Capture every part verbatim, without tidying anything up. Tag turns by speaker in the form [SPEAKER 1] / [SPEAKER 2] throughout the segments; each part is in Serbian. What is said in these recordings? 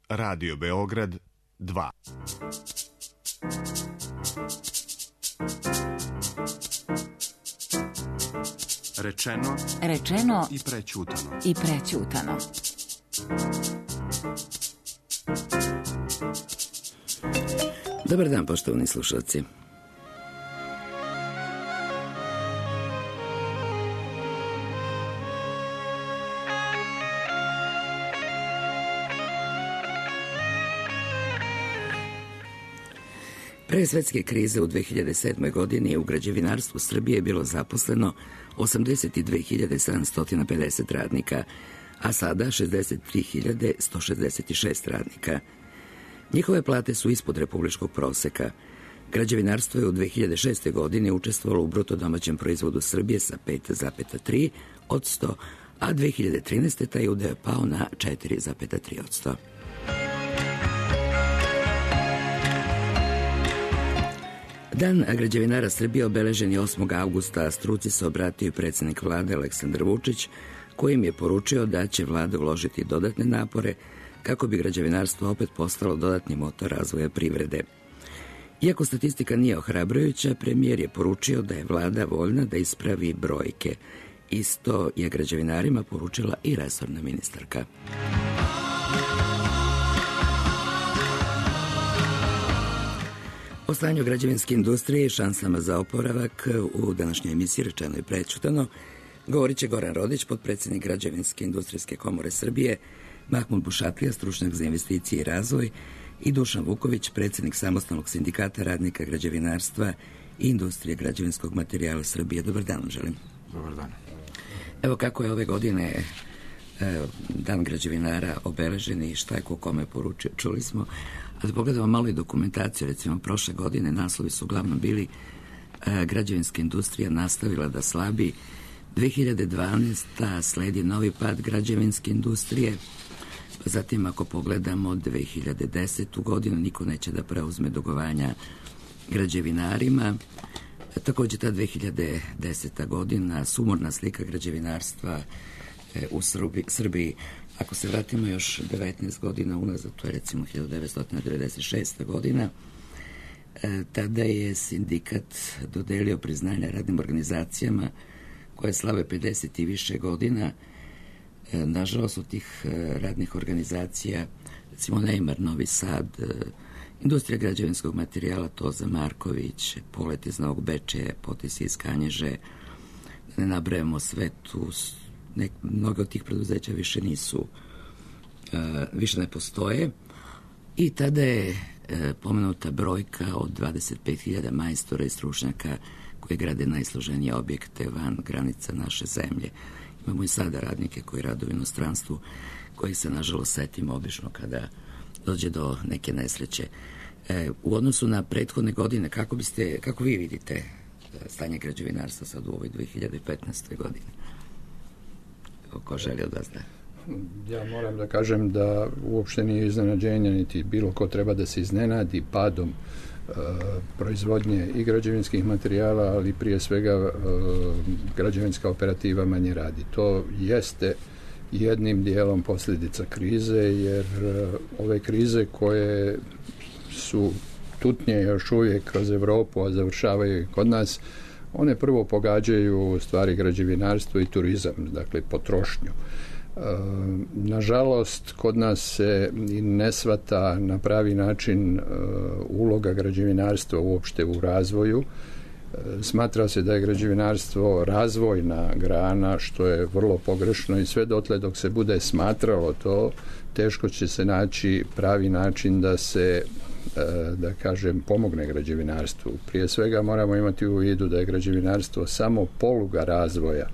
[SPEAKER 1] Radio Beograd dva. Rečeno,
[SPEAKER 2] rečeno
[SPEAKER 1] i prećutano.
[SPEAKER 2] I prećutano.
[SPEAKER 3] Dobar dan, poštovani slušalci. Pre svetske krize u dve hiljade sedmoj. godini u građevinarstvu Srbije je bilo zaposleno osamdeset dve hiljade sedamsto pedeset radnika, a sada šezdeset tri hiljade sto šezdeset šest radnika. Njihove plate su ispod republičkog proseka. Građevinarstvo je u dve hiljade šestoj. godini učestvovalo u bruto domaćem proizvodu Srbije sa pet zarez tri od sto, a dve hiljade trinaeste. taj udeo je pao na četiri zarez tri od sto. Dan građevinara Srbije obeležen je osmog avgusta, a struci se obratio i predsjednik vlade Aleksandar Vučić, kojim je poručio da će vlada uložiti dodatne napore kako bi građevinarstvo opet postalo dodatni motor razvoja privrede. Iako statistika nije ohrabrujuća, premijer je poručio da je vlada voljna da ispravi brojke. Isto je građevinarima poručila i resorna ministarka. O stanju građevinske industrije i šansama za oporavak u današnjoj emisiji Rečeno i prećutano govorit će Goran Rodić, potpredsjednik Građevinske industrijske komore Srbije, Mahmud Bušatlija, stručnjak za investicije i razvoj, i Dušan Vuković, predsjednik Samostalnog sindikata radnika građevinarstva i industrije građevinskog materijala Srbije. Dobar dan, želim.
[SPEAKER 4] Dobar dan.
[SPEAKER 3] Evo kako je ove godine e, dan građevinara obeležen i šta je ko kome poručio, čuli smo. A da pogledamo malo i dokumentaciju, recimo prošle godine naslovi su uglavnom bili e, građevinska industrija nastavila da slabi, dve hiljade dvanaesta. sledi novi pad građevinske industrije, pa zatim ako pogledamo dve hiljade desetu. godinu, niko neće da preuzme dugovanja građevinarima. E, takođe ta dve hiljade deseta. godina, sumorna slika građevinarstva e, u Srbiji, Srbiji. Ako se vratimo još devetnaest godina unazad, to je recimo hiljadu devetsto devedeset šesta. godina, e, tada je sindikat dodelio priznanja radnim organizacijama koje slave pedeset i više godina. E, nažalost, od tih e, radnih organizacija, recimo Neymar, Novi Sad, e, Industrija građevinskog materijala, Toza Marković, Polet iz Novog Bečeja, Potis iz Kanježe, da ne nabrajamo sve tu. Nek, mnogo od tih preduzeća više nisu, uh, više ne postoje, i tada je uh, pomenuta brojka od dvadeset pet hiljada majstora i stručnjaka koji grade najsloženije objekte van granica naše zemlje. Imamo i sada radnike koji rade u inostranstvu, koji se nažalost setimo obično kada dođe do neke nesreće. E, u odnosu na prethodne godine, kako biste, kako vi vidite stanje građevinarstva sad u ovoj dve hiljade petnaestoj. godini? Ko želi od vas da?
[SPEAKER 4] Ja moram da kažem da uopšte nije iznenađenje, niti bilo ko treba da se iznenadi padom e, proizvodnje i građevinskih materijala, ali prije svega e, građevinska operativa manje radi. To jeste jednim dijelom posljedica krize, jer e, ove krize koje su tutnje još uvijek kroz Evropu, a završavaju i kod nas, one prvo pogađaju stvari građevinarstvo i turizam, dakle potrošnju. E, nažalost, kod nas se ne shvata na pravi način e, uloga građevinarstva uopšte u razvoju. E, smatra se da je građevinarstvo razvojna grana, što je vrlo pogrešno, i sve dotle dok se bude smatralo to, teško će se naći pravi način da se, da kažem, pomogne građevinarstvu. Prije svega moramo imati u vidu da je građevinarstvo samo poluga razvoja.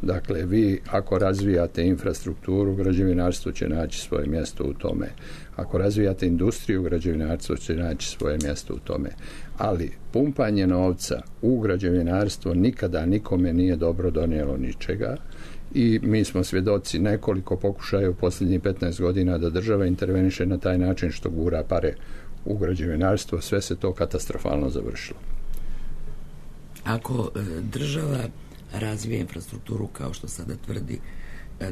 [SPEAKER 4] Dakle, vi ako razvijate infrastrukturu, građevinarstvo će naći svoje mjesto u tome. Ako razvijate industriju, građevinarstvo će naći svoje mjesto u tome. Ali pumpanje novca u građevinarstvo nikada nikome nije dobro donijelo ničega. I mi smo svjedoci nekoliko pokušaja u posljednjih petnaest godina da država interveniše na taj način što gura pare u građevinarstvo, sve se to katastrofalno završilo.
[SPEAKER 3] Ako e, država razvije infrastrukturu kao što sada tvrdi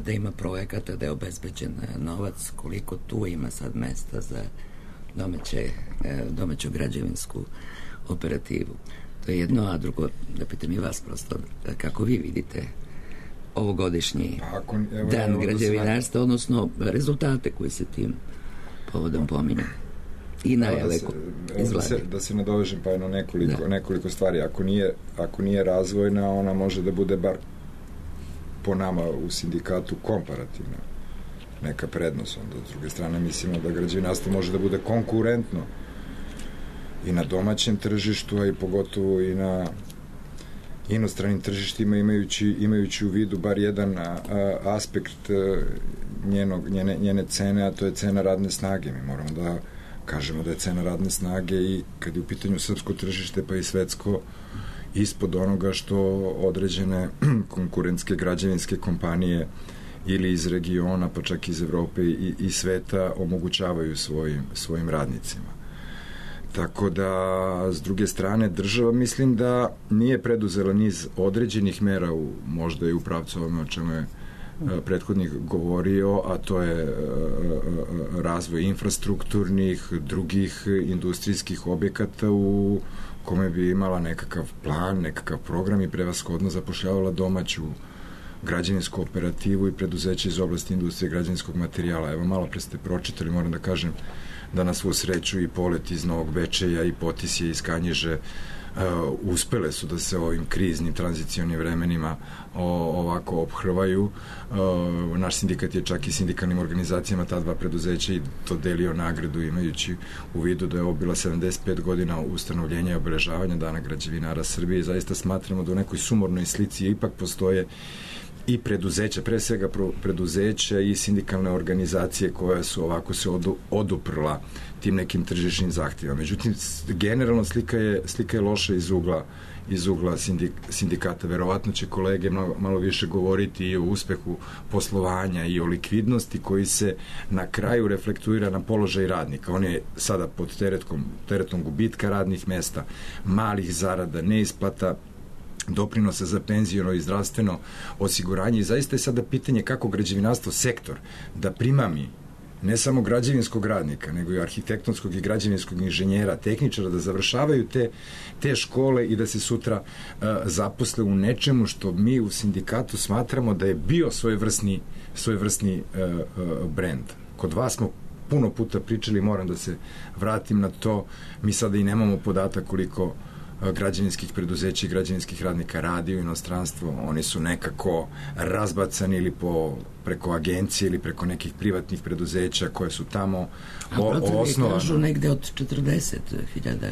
[SPEAKER 3] da ima projekata, da je obezbeđen novac, koliko tu ima sad mesta za domaće, domaću građevinsku operativu. To je jedno, a drugo, da pitam i vas prosto, kako vi vidite ovogodišnji Ako, evo, dan evo, građevinarstva, odnosno rezultate koji se tim povodom pominju i najave izgleda.
[SPEAKER 5] Da se, da se nadovežem pa jedno nekoliko, nekoliko stvari. Ako nije, ako nije razvojna, ona može da bude bar po nama u sindikatu komparativna neka prednost. Onda, s druge strane, mislimo da građevinarstvo može da bude konkurentno i na domaćem tržištu, a i pogotovo i na inostranim tržištima, imajući, imajući u vidu bar jedan a, a, aspekt a, njenog, njene, njene cene, a to je cena radne snage. Mi moramo da kažemo da je cena radne snage i kad je u pitanju srpsko tržište pa i svetsko ispod onoga što određene konkurentske građevinske kompanije ili iz regiona, pa čak iz Evrope i, i sveta omogućavaju svojim, svojim radnicima. Tako da, s druge strane, država mislim da nije preduzela niz određenih mera, u, možda i u pravcu ovome o čemu je prethodnik govorio, a to je razvoj infrastrukturnih, drugih industrijskih objekata u kome bi imala nekakav plan, nekakav program i prevashodno zapošljavala domaću građevinsku operativu i preduzeće iz oblasti industrije građevinskog materijala. Evo, malo pre ste pročitali, moram da kažem da na svu sreću i Polet iz Novog Bečeja i Potisje iz Kanjiže uh, uspele su da se ovim kriznim tranzicionim vremenima o, ovako ophrvaju. Uh, naš sindikat je čak i sindikalnim organizacijama ta dva preduzeća i dodelio nagradu imajući u vidu da je ovo bila sedamdeset pet godina ustanovljenja i obeležavanja Dana građevinara Srbije i zaista smatramo da u nekoj sumornoj slici ipak postoje i preduzeća, pre svega preduzeća i sindikalne organizacije koje su ovako se odu, oduprla tim nekim tržišnim zahtjevima. Međutim, generalno slika je, slika je loša iz ugla, iz ugla sindik, sindikata. Verovatno će kolege malo, malo više govoriti i o uspehu poslovanja i o likvidnosti koji se na kraju reflektuira na položaj radnika. On je sada pod teretkom, teretom gubitka radnih mesta, malih zarada, neisplata doprinosa za penziono i zdravstveno osiguranje i zaista je sada pitanje kako građevinarstvo sektor da primami ne samo građevinskog radnika, nego i arhitektonskog i građevinskog inženjera, tehničara, da završavaju te, te škole i da se sutra uh, zaposle u nečemu što mi u sindikatu smatramo da je bio svojevrsni, svojevrsni uh, uh, brend. Kod vas smo puno puta pričali, moram da se vratim na to, mi sada i nemamo podatak koliko građevinskih preduzeća i građevinskih radnika radi u inostranstvu, oni su nekako razbacani ili po, preko agencije ili preko nekih privatnih preduzeća koje su tamo osnovane.
[SPEAKER 3] A kažu negde od četrdeset hiljada.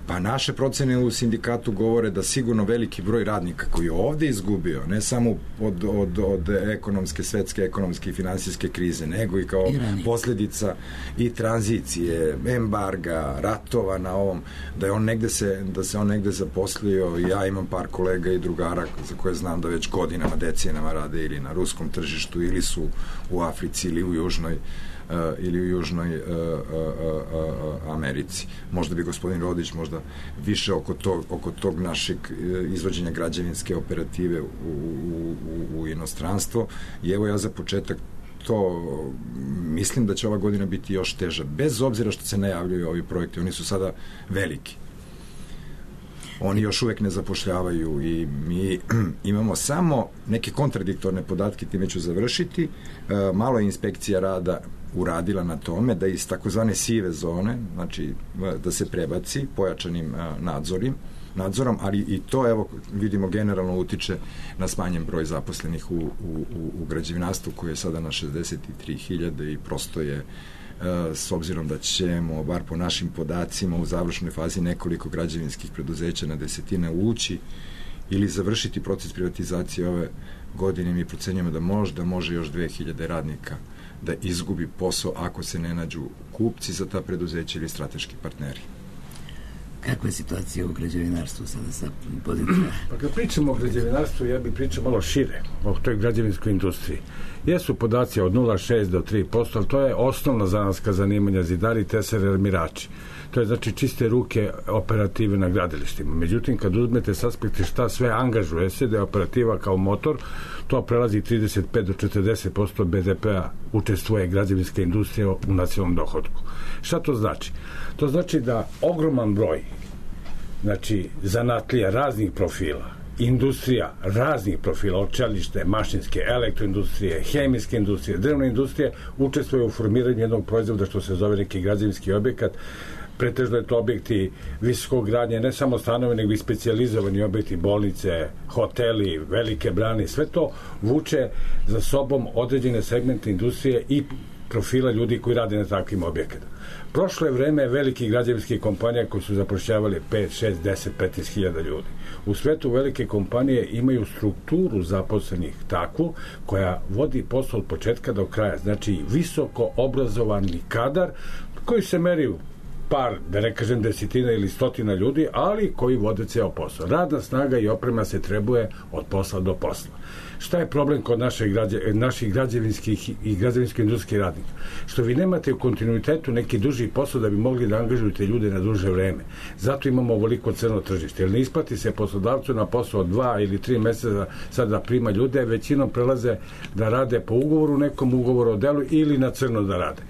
[SPEAKER 5] Pa naše procene u sindikatu govore da sigurno veliki broj radnika koji je ovde izgubio, ne samo od, od, od ekonomske, svetske ekonomske i finansijske krize, nego i kao I posljedica i tranzicije, embarga, ratova na ovom, da je on negde se, da se on negde zaposlio. Ja imam par kolega i drugara za koje znam da već godinama, decenijama rade ili na ruskom tržištu, ili su u Africi ili u Južnoj Uh, ili u Južnoj uh, uh, uh, Americi. Možda bi gospodin Rodić možda više oko tog, oko tog našeg uh, izvođenja građevinske operative u, u, u, u inostranstvo. I evo ja za početak to mislim da će ova godina biti još teža, bez obzira što se najavljuju ovi projekti. Oni su sada veliki. Oni još uvek ne zapošljavaju i mi imamo samo neke kontradiktorne podatke, time ću završiti. Uh, malo je inspekcija rada uradila na tome da iz takozvane sive zone, znači da se prebaci pojačanim nadzorim, nadzorom, ali i to, evo, vidimo, generalno utiče na smanjen broj zaposlenih u, u, u građevinarstvu koji je sada na šezdeset tri hiljade i prosto je, s obzirom da ćemo, bar po našim podacima, u završnoj fazi nekoliko građevinskih preduzeća na desetine ući ili završiti proces privatizacije ove godine, mi procenjujemo da možda može još dve hiljade radnika da izgubi posao ako se ne nađu kupci za ta preduzeća ili strateški partneri.
[SPEAKER 3] Kakva je situacija u građevinarstvu sada sa pozicijama?
[SPEAKER 6] Pa kad pričamo o građevinarstvu, ja bih pričao malo šire o toj građevinskoj industriji. Jesu podaci od nula zarez šest do tri posto, ali to je osnovna zanatska zanimanja, zidari, tesari, armirači. To je znači čiste ruke operative na gradilištima. Međutim, kad uzmete s aspekta šta sve angažuje se, da je operativa kao motor, to prelazi trideset pet do četrdeset posto be de pea učestvuje građevinska industrija u nacionalnom dohodku. Šta to znači? To znači da ogroman broj, znači, zanatlija raznih profila, industrija raznih profila, od čelište, mašinske, elektroindustrije, hemijske industrije, drvne industrije, učestvuje u formiranju jednog proizvoda što se zove neki građevinski objekat. Pretežno je to objekti visokog gradnje, ne samo stanovi, nego i specijalizovani objekti, bolnice, hoteli, velike brane, sve to vuče za sobom određene segmente industrije i profila ljudi koji rade na takvim objektima. Prošlo je vreme velikih građevinskih kompanija koji su zapošljavali pet, šest, deset, petnaest hiljada ljudi. U svetu velike kompanije imaju strukturu zaposlenih takvu koja vodi posao od početka do kraja. Znači visoko obrazovani kadar koji se meri u par, da ne kažem desetina ili stotina ljudi, ali koji vode ceo posao. Radna snaga i oprema se trebuje od posla do posla. Šta je problem kod naše građe, naših građevinskih i građevinsko-industrijskih radnika? Što vi nemate u kontinuitetu neki duži posao da bi mogli da angažujete ljude na duže vreme. Zato imamo ovoliko crno tržište. Jer ne isplati se poslodavcu na posao od dva ili tri meseca sad da prima ljude, većinom prelaze da rade po ugovoru, nekom ugovoru o delu ili na crno da rade.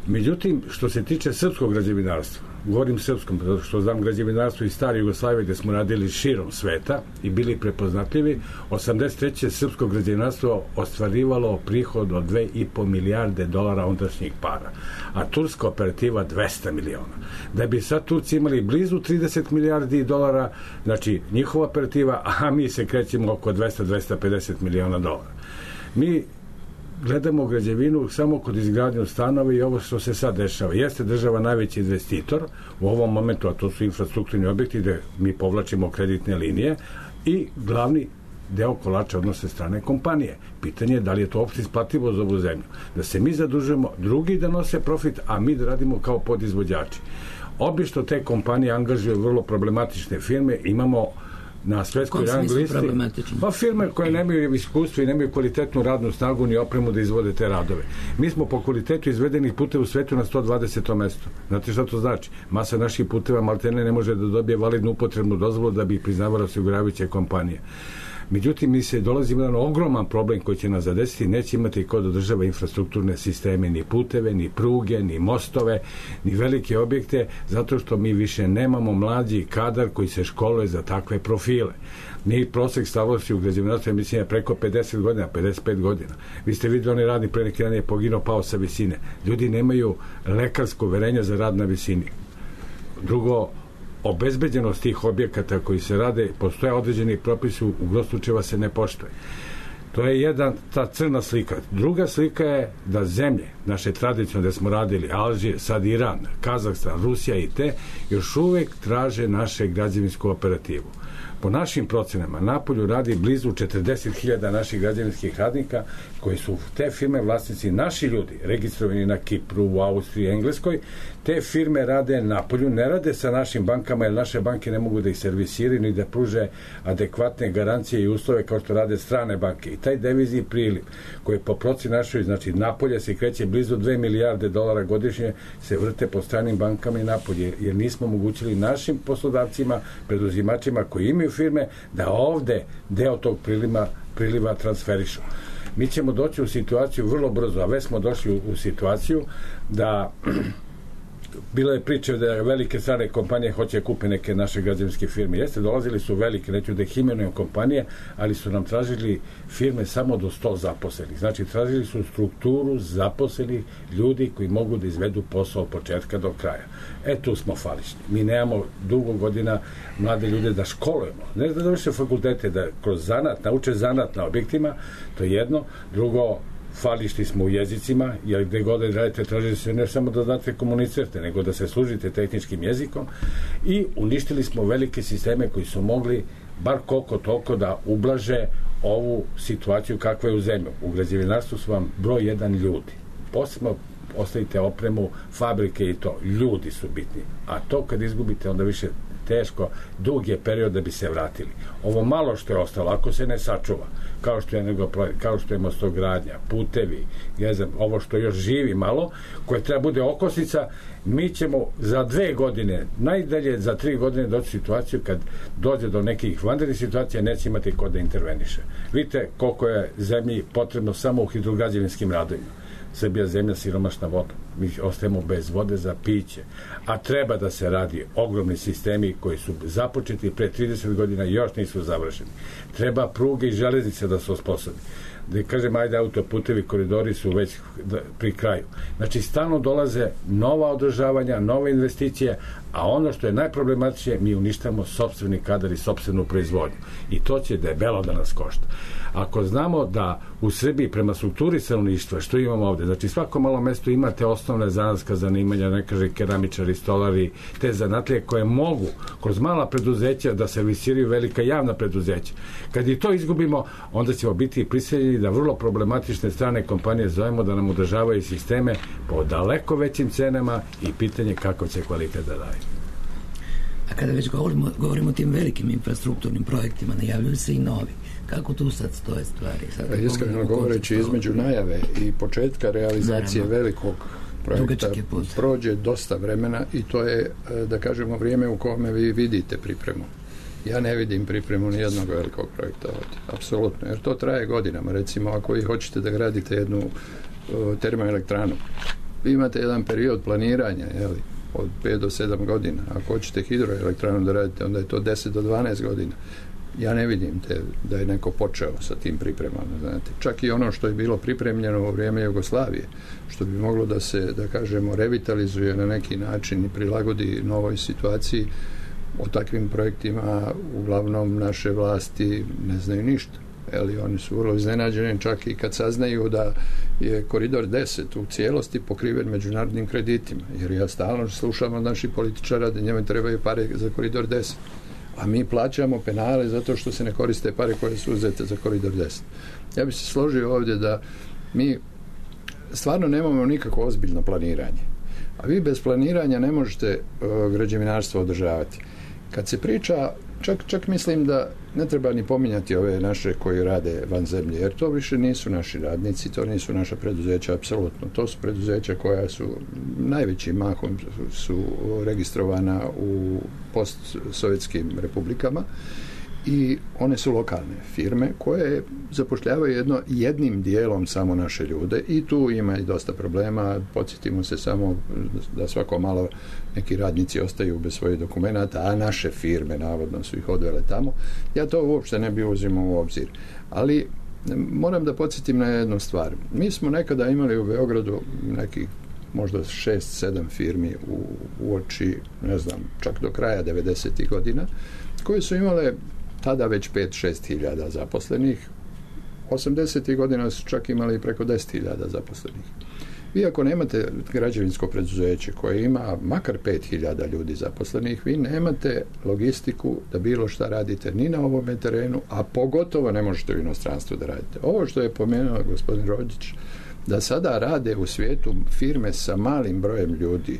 [SPEAKER 6] Međutim, što se tiče srpskog građevinarstva, govorim srpskom, zato što znam građevinarstvo iz stare Jugoslavije gde smo radili širom sveta i bili prepoznatljivi, osamdeset treće srpsko građevinarstvo ostvarivalo prihod od dve i po milijarde dolara ondašnjih para, a turska operativa dvesta miliona. Da bi sad Turci imali blizu trideset milijardi dolara, znači njihova operativa, a mi se krećemo oko dvesta do dvesta pedeset miliona dolara. Mi gledamo građevinu samo kod izgradnje stanova i ovo što se sad dešava. Jeste država najveći investitor u ovom momentu, a to su infrastrukturni objekti gde mi povlačimo kreditne linije i glavni deo kolača odnose strane kompanije. Pitanje je da li je to uopšte isplativo za ovu zemlju. Da se mi zadužujemo, drugi da nose profit, a mi da radimo kao podizvođači. Obično te kompanije angažuju vrlo problematične firme, imamo na svetskoj rang listi, pa firme koje nemaju iskustvo i nemaju kvalitetnu radnu snagu ni opremu da izvode te radove. Mi smo po kvalitetu izvedenih puteva u svetu na sto dvadesetom mestu. Znate šta to znači? Masa naših puteva maltene ne može da dobije validnu upotrebnu dozvolu da bi ih priznavala osiguravajuće kompanije. Međutim, mi se dolazimo na jedan ogroman problem koji će nas zadesiti, neće imati kod održava infrastrukturne sisteme, ni puteve, ni pruge, ni mostove, ni velike objekte, zato što mi više nemamo mlađi kadar koji se školuje za takve profile. Mi prosek starosti u građevinarstvu, mislim, je preko pedeset godina, pedeset pet godina. Vi ste videli, oni radni pre neki dan je poginuo, pao sa visine. Ljudi nemaju lekarsko uverenje za rad na visini. Drugo, obezbeđenost tih objekata koji se rade, postoje određeni propisi, u gro slučajeva se ne poštuje. To je jedna ta crna slika. Druga slika je da zemlje, naše tradicionalne gde smo radili, Alžir, sad Iran, Kazahstan, Rusija i te, još uvek traže naše građevinsku operativu. Po našim procenama, napolju radi blizu četrdeset hiljada naših građevinskih radnika koji su te firme vlasnici naši ljudi, registrovani na Kipru, u Austriji, Engleskoj. Te firme rade napolju, ne rade sa našim bankama, jer naše banke ne mogu da ih servisiraju ni da pruže adekvatne garancije i uslove kao što rade strane banke. I taj devizni priliv koji po proceni našoj, znači napolje se kreće blizu dve milijarde dolara godišnje, se vrte po stranim bankama i napolje, jer nismo omogućili našim poslodavcima, preduzimačima koji imaju firme, da ovde deo tog priliva, priliva transferišu. Mi ćemo doći u situaciju vrlo brzo, a već smo došli u, u situaciju da bilo je priče da velike strane kompanije hoće kupe neke naše građevinske firme. Jeste, dolazili su velike, neću da ih imenujem kompanije, ali su nam tražili firme samo do sto zaposlenih. Znači, tražili su strukturu zaposlenih ljudi koji mogu da izvedu posao od početka do kraja. E, tu smo fališni. Mi nemamo dugo godina mlade ljude da školujemo. Ne da završe fakultete, da kroz zanat, nauče zanat na objektima, to je jedno. Drugo, fališti smo u jezicima, jer gde god da radite, tražite se ne samo da znate komunicirate, nego da se služite tehničkim jezikom, i uništili smo velike sisteme koji su mogli bar koliko toliko da ublaže ovu situaciju kakva je u zemlju. U građevinarstvu su vam broj jedan ljudi. Posebno ostavite opremu, fabrike i to. Ljudi su bitni. A to kad izgubite, onda više teško, dug je period da bi se vratili. Ovo malo što je ostalo, ako se ne sačuva, kao što je, nego, kao što je mostogradnja, putevi, ne znam, ovo što još živi malo, koje treba bude okosnica, mi ćemo za dve godine, najdalje za tri godine doći u situaciju kad dođe do nekih vanrednih situacija, neće imati ko da interveniše. Vidite koliko je zemlji potrebno samo u hidrograđevinskim radovima. Srbija zemlja siromašna voda. Mi ostajemo bez vode za piće. A treba da se radi ogromni sistemi koji su započeti pre trideset godina i još nisu završeni. Treba pruge i železnice da se osposobi. Da kažem, ajde, autoputevi, koridori su već pri kraju. Znači, stalno dolaze nova održavanja, nove investicije, a ono što je najproblematičnije, mi uništamo sopstveni kadar i sopstvenu proizvodnju. I to će debelo da nas košta. Ako znamo da u Srbiji prema strukturi stanovništva, što imamo ovde, znači svako malo mesto imate osnovne zanatska zanimanja, ne kaže keramičari, stolari, te zanatlije koje mogu kroz mala preduzeća da servisiraju velika javna preduzeća. Kad i to izgubimo, onda ćemo biti prisiljeni da vrlo problematične strane kompanije zovemo da nam održavaju sisteme po daleko većim cenama i pitanje kako će kvalitet da daje.
[SPEAKER 3] A kada već govorimo, govorimo o tim velikim infrastrukturnim projektima, najavljuju se i novi. Kako tu sad stoje stvari? Sad
[SPEAKER 4] iskreno govoreći, između najave i početka realizacije Naravno. velikog projekta prođe dosta vremena i to je, da kažemo, vrijeme u kome vi vidite pripremu. Ja ne vidim pripremu nijednog velikog projekta ovdje, apsolutno, jer to traje godinama. Recimo, ako vi hoćete da gradite jednu uh, termoelektranu, vi imate jedan period planiranja, jeli, od pet do sedam godina. Ako hoćete hidroelektranu da radite, onda je to deset do dvanaest godina. Ja ne vidim te, da je neko počeo sa tim pripremama. Znate. Čak i ono što je bilo pripremljeno u vrijeme Jugoslavije, što bi moglo da se, da kažemo, revitalizuje na neki način i prilagodi novoj situaciji, o takvim projektima uglavnom naše vlasti ne znaju ništa. Eli, oni su vrlo iznenađeni čak i kad saznaju da je koridor deset u cijelosti pokriven međunarodnim kreditima. Jer ja stalno slušam od naših političara da njima trebaju pare za koridor deset. A mi plaćamo penale zato što se ne koriste pare koje su uzete za koridor deset. Ja bih se složio ovdje da mi stvarno nemamo nikako ozbiljno planiranje. A vi bez planiranja ne možete uh, građevinarstvo održavati. Kad se priča, čak, čak mislim da ne treba ni pominjati ove naše koji rade van zemlje, jer to više nisu naši radnici, to nisu naša preduzeća, apsolutno. To su preduzeća koja su najvećim mahom su registrovana u postsovjetskim republikama i one su lokalne firme koje zapošljavaju jedno, jednim dijelom samo naše ljude i tu ima i dosta problema. Podsjetimo se samo da svako malo neki radnici ostaju bez svojih dokumenata, a naše firme navodno su ih odvele tamo. Ja to uopšte ne bi uzimao u obzir. Ali moram da podsjetim na jednu stvar. Mi smo nekada imali u Beogradu neki možda šest sedam firmi u, u oči, ne znam, čak do kraja devedesetih godina, koje su imale tada već pet šest hiljada zaposlenih. osamdesetih godina su čak imali preko deset hiljada zaposlenih. Vi ako nemate građevinsko preduzeće koje ima makar pet hiljada ljudi zaposlenih, vi nemate logistiku da bilo šta radite ni na ovome terenu, a pogotovo ne možete u inostranstvu da radite. Ovo što je pomenuo gospodin Rođić, da sada rade u svijetu firme sa malim brojem ljudi,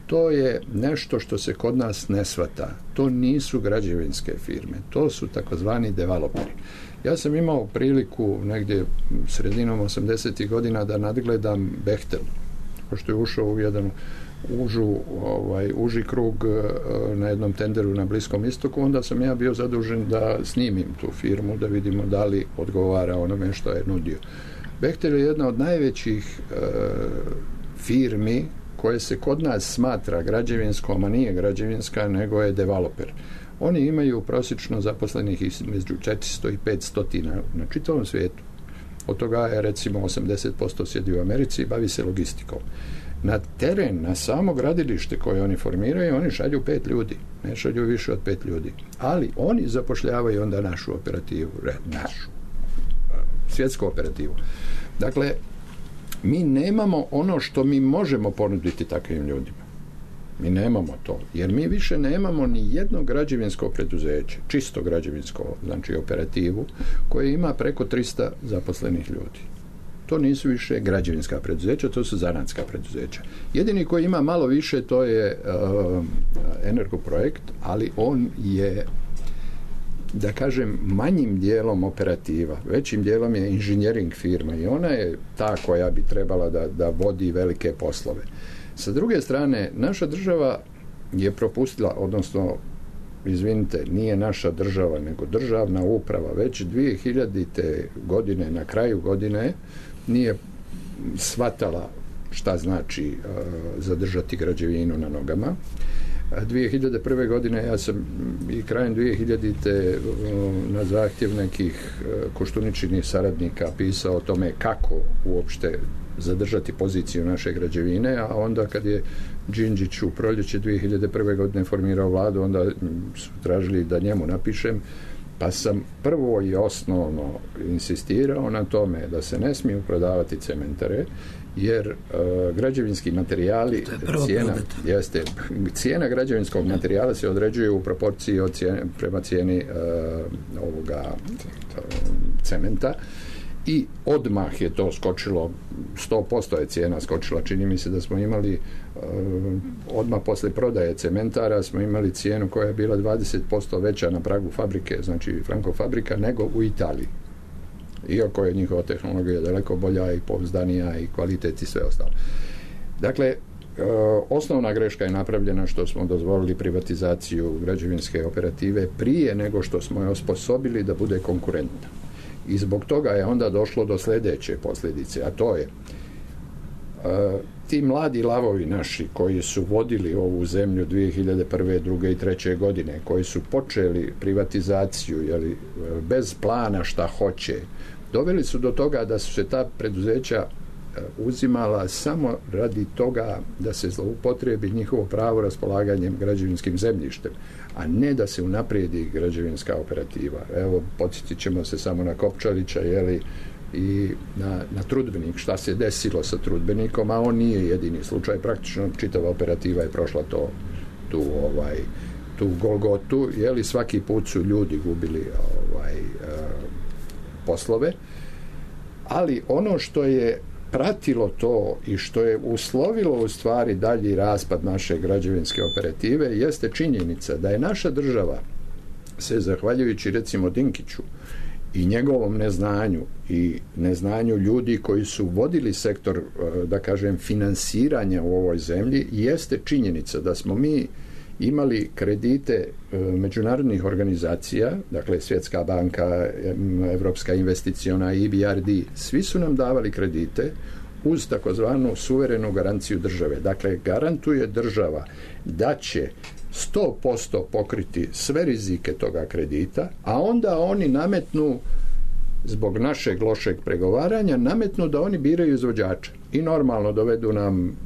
[SPEAKER 4] to je nešto što se kod nas ne shvata. To nisu građevinske firme, to su takozvani developeri. Ja sam imao priliku negdje sredinom osamdesetih godina da nadgledam Bechtel, pošto je ušao u jedan užu, ovaj, uži krug na jednom tenderu na Bliskom istoku, onda sam ja bio zadužen da snimim tu firmu, da vidimo da li odgovara onome što je nudio. Bechtel je jedna od najvećih e, firmi koje se kod nas smatra građevinskom, a nije građevinska, nego je developer. Oni imaju prosječno zaposlenih između četiristo i petsto na čitavom svijetu. Od toga je recimo osamdeset posto sjedi u Americi i bavi se logistikom. Na teren, na samo gradilište koje oni formiraju, oni šalju pet ljudi. Ne šalju više od pet ljudi. Ali oni zapošljavaju onda našu operativu, našu, svjetsku operativu. Dakle, mi nemamo ono što mi možemo ponuditi takvim ljudima. Mi nemamo to, jer mi više nemamo ni jedno građevinsko preduzeće, čisto građevinsko, znači operativu, koje ima preko tristo zaposlenih ljudi. to nisu više građevinska preduzeća, to su zanatska preduzeća. Jedini koji ima malo više, to je uh, Energoprojekt, ali on je, da kažem, manjim dijelom operativa, većim dijelom je inženjering firma i ona je ta koja bi trebala da, da vodi velike poslove. Sa druge strane, naša država je propustila, odnosno, izvinite, nije naša država, nego državna uprava, već dvije hiljadite godine, na kraju godine, nije shvatala šta znači uh, zadržati građevinu na nogama. dvije hiljade prve. godine ja sam i krajem dvije hiljadite. na zahtjev nekih Koštuničinih saradnika pisao o tome kako uopšte zadržati poziciju naše građevine, a onda kad je Đinđić u proljeće dvije hiljade prve. godine formirao vladu, onda su tražili da njemu napišem, pa sam prvo i osnovno insistirao na tome da se ne smiju prodavati cementare, jer uh, građevinski materijali, cijena, jeste, cijena građevinskog materijala se određuje u proporciji od cijene, prema cijeni uh, ovoga uh, cementa, i odmah je to skočilo, sto posto je cijena skočila. Čini mi se da smo imali uh, odmah posle prodaje cementara smo imali cijenu koja je bila dvadeset posto veća na pragu fabrike, znači Franko fabrika, nego u Italiji. Iako je njihova tehnologija daleko bolja i pouzdanija i kvalitet i sve ostalo. Dakle, e, osnovna greška je napravljena što smo dozvolili privatizaciju građevinske operative prije nego što smo je osposobili da bude konkurentna. I zbog toga je onda došlo do sljedeće posljedice, a to je e, ti mladi lavovi naši koji su vodili ovu zemlju dvije hiljade prve. druge i treće. godine, koji su počeli privatizaciju, jeli, bez plana šta hoće, doveli su do toga da su se ta preduzeća uzimala samo radi toga da se zloupotrebi njihovo pravo raspolaganjem građevinskim zemljištem, a ne da se unaprijedi građevinska operativa. Evo, podsjetit ćemo se samo na Kopčalića, jeli, i na, na Trudbenik, šta se desilo sa Trudbenikom, a on nije jedini slučaj, praktično čitava operativa je prošla to, tu, ovaj, tu golgotu, jeli, svaki put su ljudi gubili ovaj, uh, poslove, ali ono što je pratilo to i što je uslovilo u stvari dalji raspad naše građevinske operative jeste činjenica da je naša država se, zahvaljujući recimo Dinkiću i njegovom neznanju i neznanju ljudi koji su vodili sektor, da kažem, finansiranja u ovoj zemlji, jeste činjenica da smo mi imali kredite međunarodnih organizacija, dakle Svjetska banka, Evropska investiciona, E B R D, svi su nam davali kredite uz takozvanu suverenu garanciju države. Dakle, garantuje država da će sto posto pokriti sve rizike toga kredita, a onda oni nametnu, zbog našeg lošeg pregovaranja, nametnu da oni biraju izvođača i normalno dovedu nam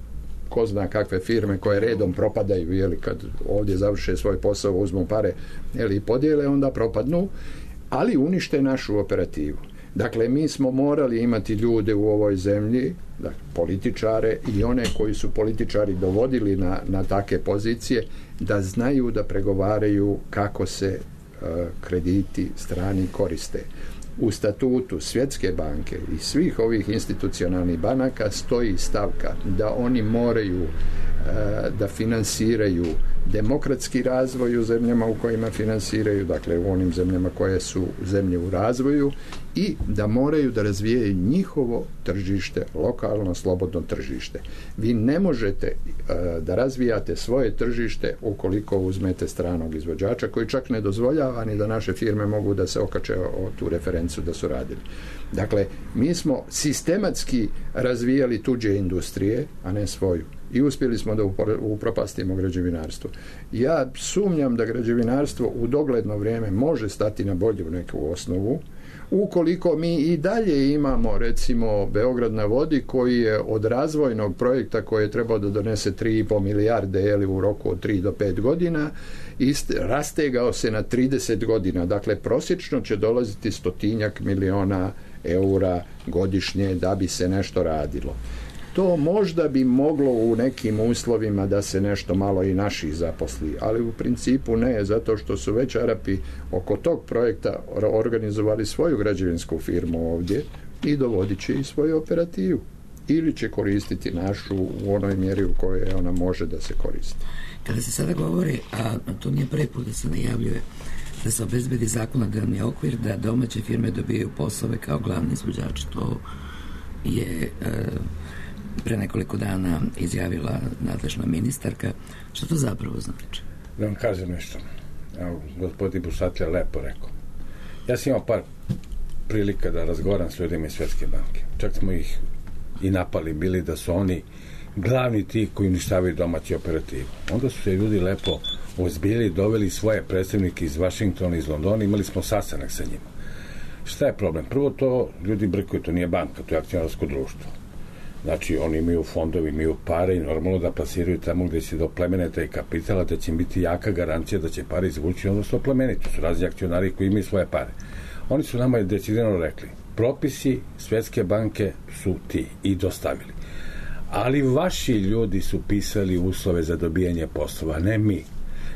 [SPEAKER 4] ko zna kakve firme koje redom propadaju, jeli, kad ovdje završe svoj posao, uzmu pare, jeli, i podijele, onda propadnu, ali unište našu operativu. Dakle, mi smo morali imati ljude u ovoj zemlji, dakle, političare i one koji su političari dovodili na, na take pozicije, da znaju da pregovaraju kako se uh, krediti strani koriste. U statutu Svjetske banke i svih ovih institucionalnih banaka stoji stavka da oni moraju e, da finansiraju demokratski razvoj u zemljama u kojima finansiraju, dakle u onim zemljama koje su zemlje u razvoju, i da moraju da razvijaju njihovo tržište, lokalno slobodno tržište. Vi ne možete e, da razvijate svoje tržište ukoliko uzmete stranog izvođača koji čak ne dozvoljava ni da naše firme mogu da se okače o tu referencu da su radili. Dakle, mi smo sistematski razvijali tuđe industrije, a ne svoju. I uspjeli smo da upropastimo građevinarstvo. Ja sumnjam da građevinarstvo u dogledno vrijeme može stati na bolju neku osnovu, ukoliko mi i dalje imamo, recimo, Beograd na vodi, koji je od razvojnog projekta koji je trebao da donese tri i po milijarde jeli, u roku od tri do pet godina, ist, rastegao se na trideset godina. Dakle, prosječno će dolaziti stotinjak miliona eura godišnje da bi se nešto radilo. To možda bi moglo u nekim uslovima da se nešto malo i naših zaposli, ali u principu ne, zato što su već Arapi oko tog projekta organizovali svoju građevinsku firmu ovdje, i dovodit će i svoju operativu. Ili će koristiti našu u onoj mjeri u kojoj ona može da se koristi.
[SPEAKER 3] Kada se sada govori, a to nije prvi put da se najavljuje, da se obezbedi zakonodavni okvir da domaće firme dobijaju poslove kao glavni izvođači, to je e, pre nekoliko dana izjavila nadležna ministarka. Što to zapravo znači?
[SPEAKER 6] Da vam kažem nešto. Evo, gospodin Busatlja lepo rekao. Ja sam imao par prilika da razgovaram s ljudima iz Svetske banke. Čak smo ih i napali bili da su oni glavni ti koji uništavaju domaći operativu. Onda su se ljudi lepo ozbiljili, doveli svoje predstavnike iz Vašingtona, iz Londona, imali smo sastanak sa njima. Šta je problem? Prvo to ljudi brkuju, to nije banka, to je akcionarsko društvo. Znači, oni imaju fondovi, imaju pare i normalno da plasiraju tamo gde će do plemene taj kapitala, da će im biti jaka garancija da će pare izvući, onda su oplemeniti. To su razni akcionari koji imaju svoje pare. Oni su nama decidirano rekli, propisi Svetske banke su ti i dostavili. Ali vaši ljudi su pisali uslove za dobijanje poslova, ne mi.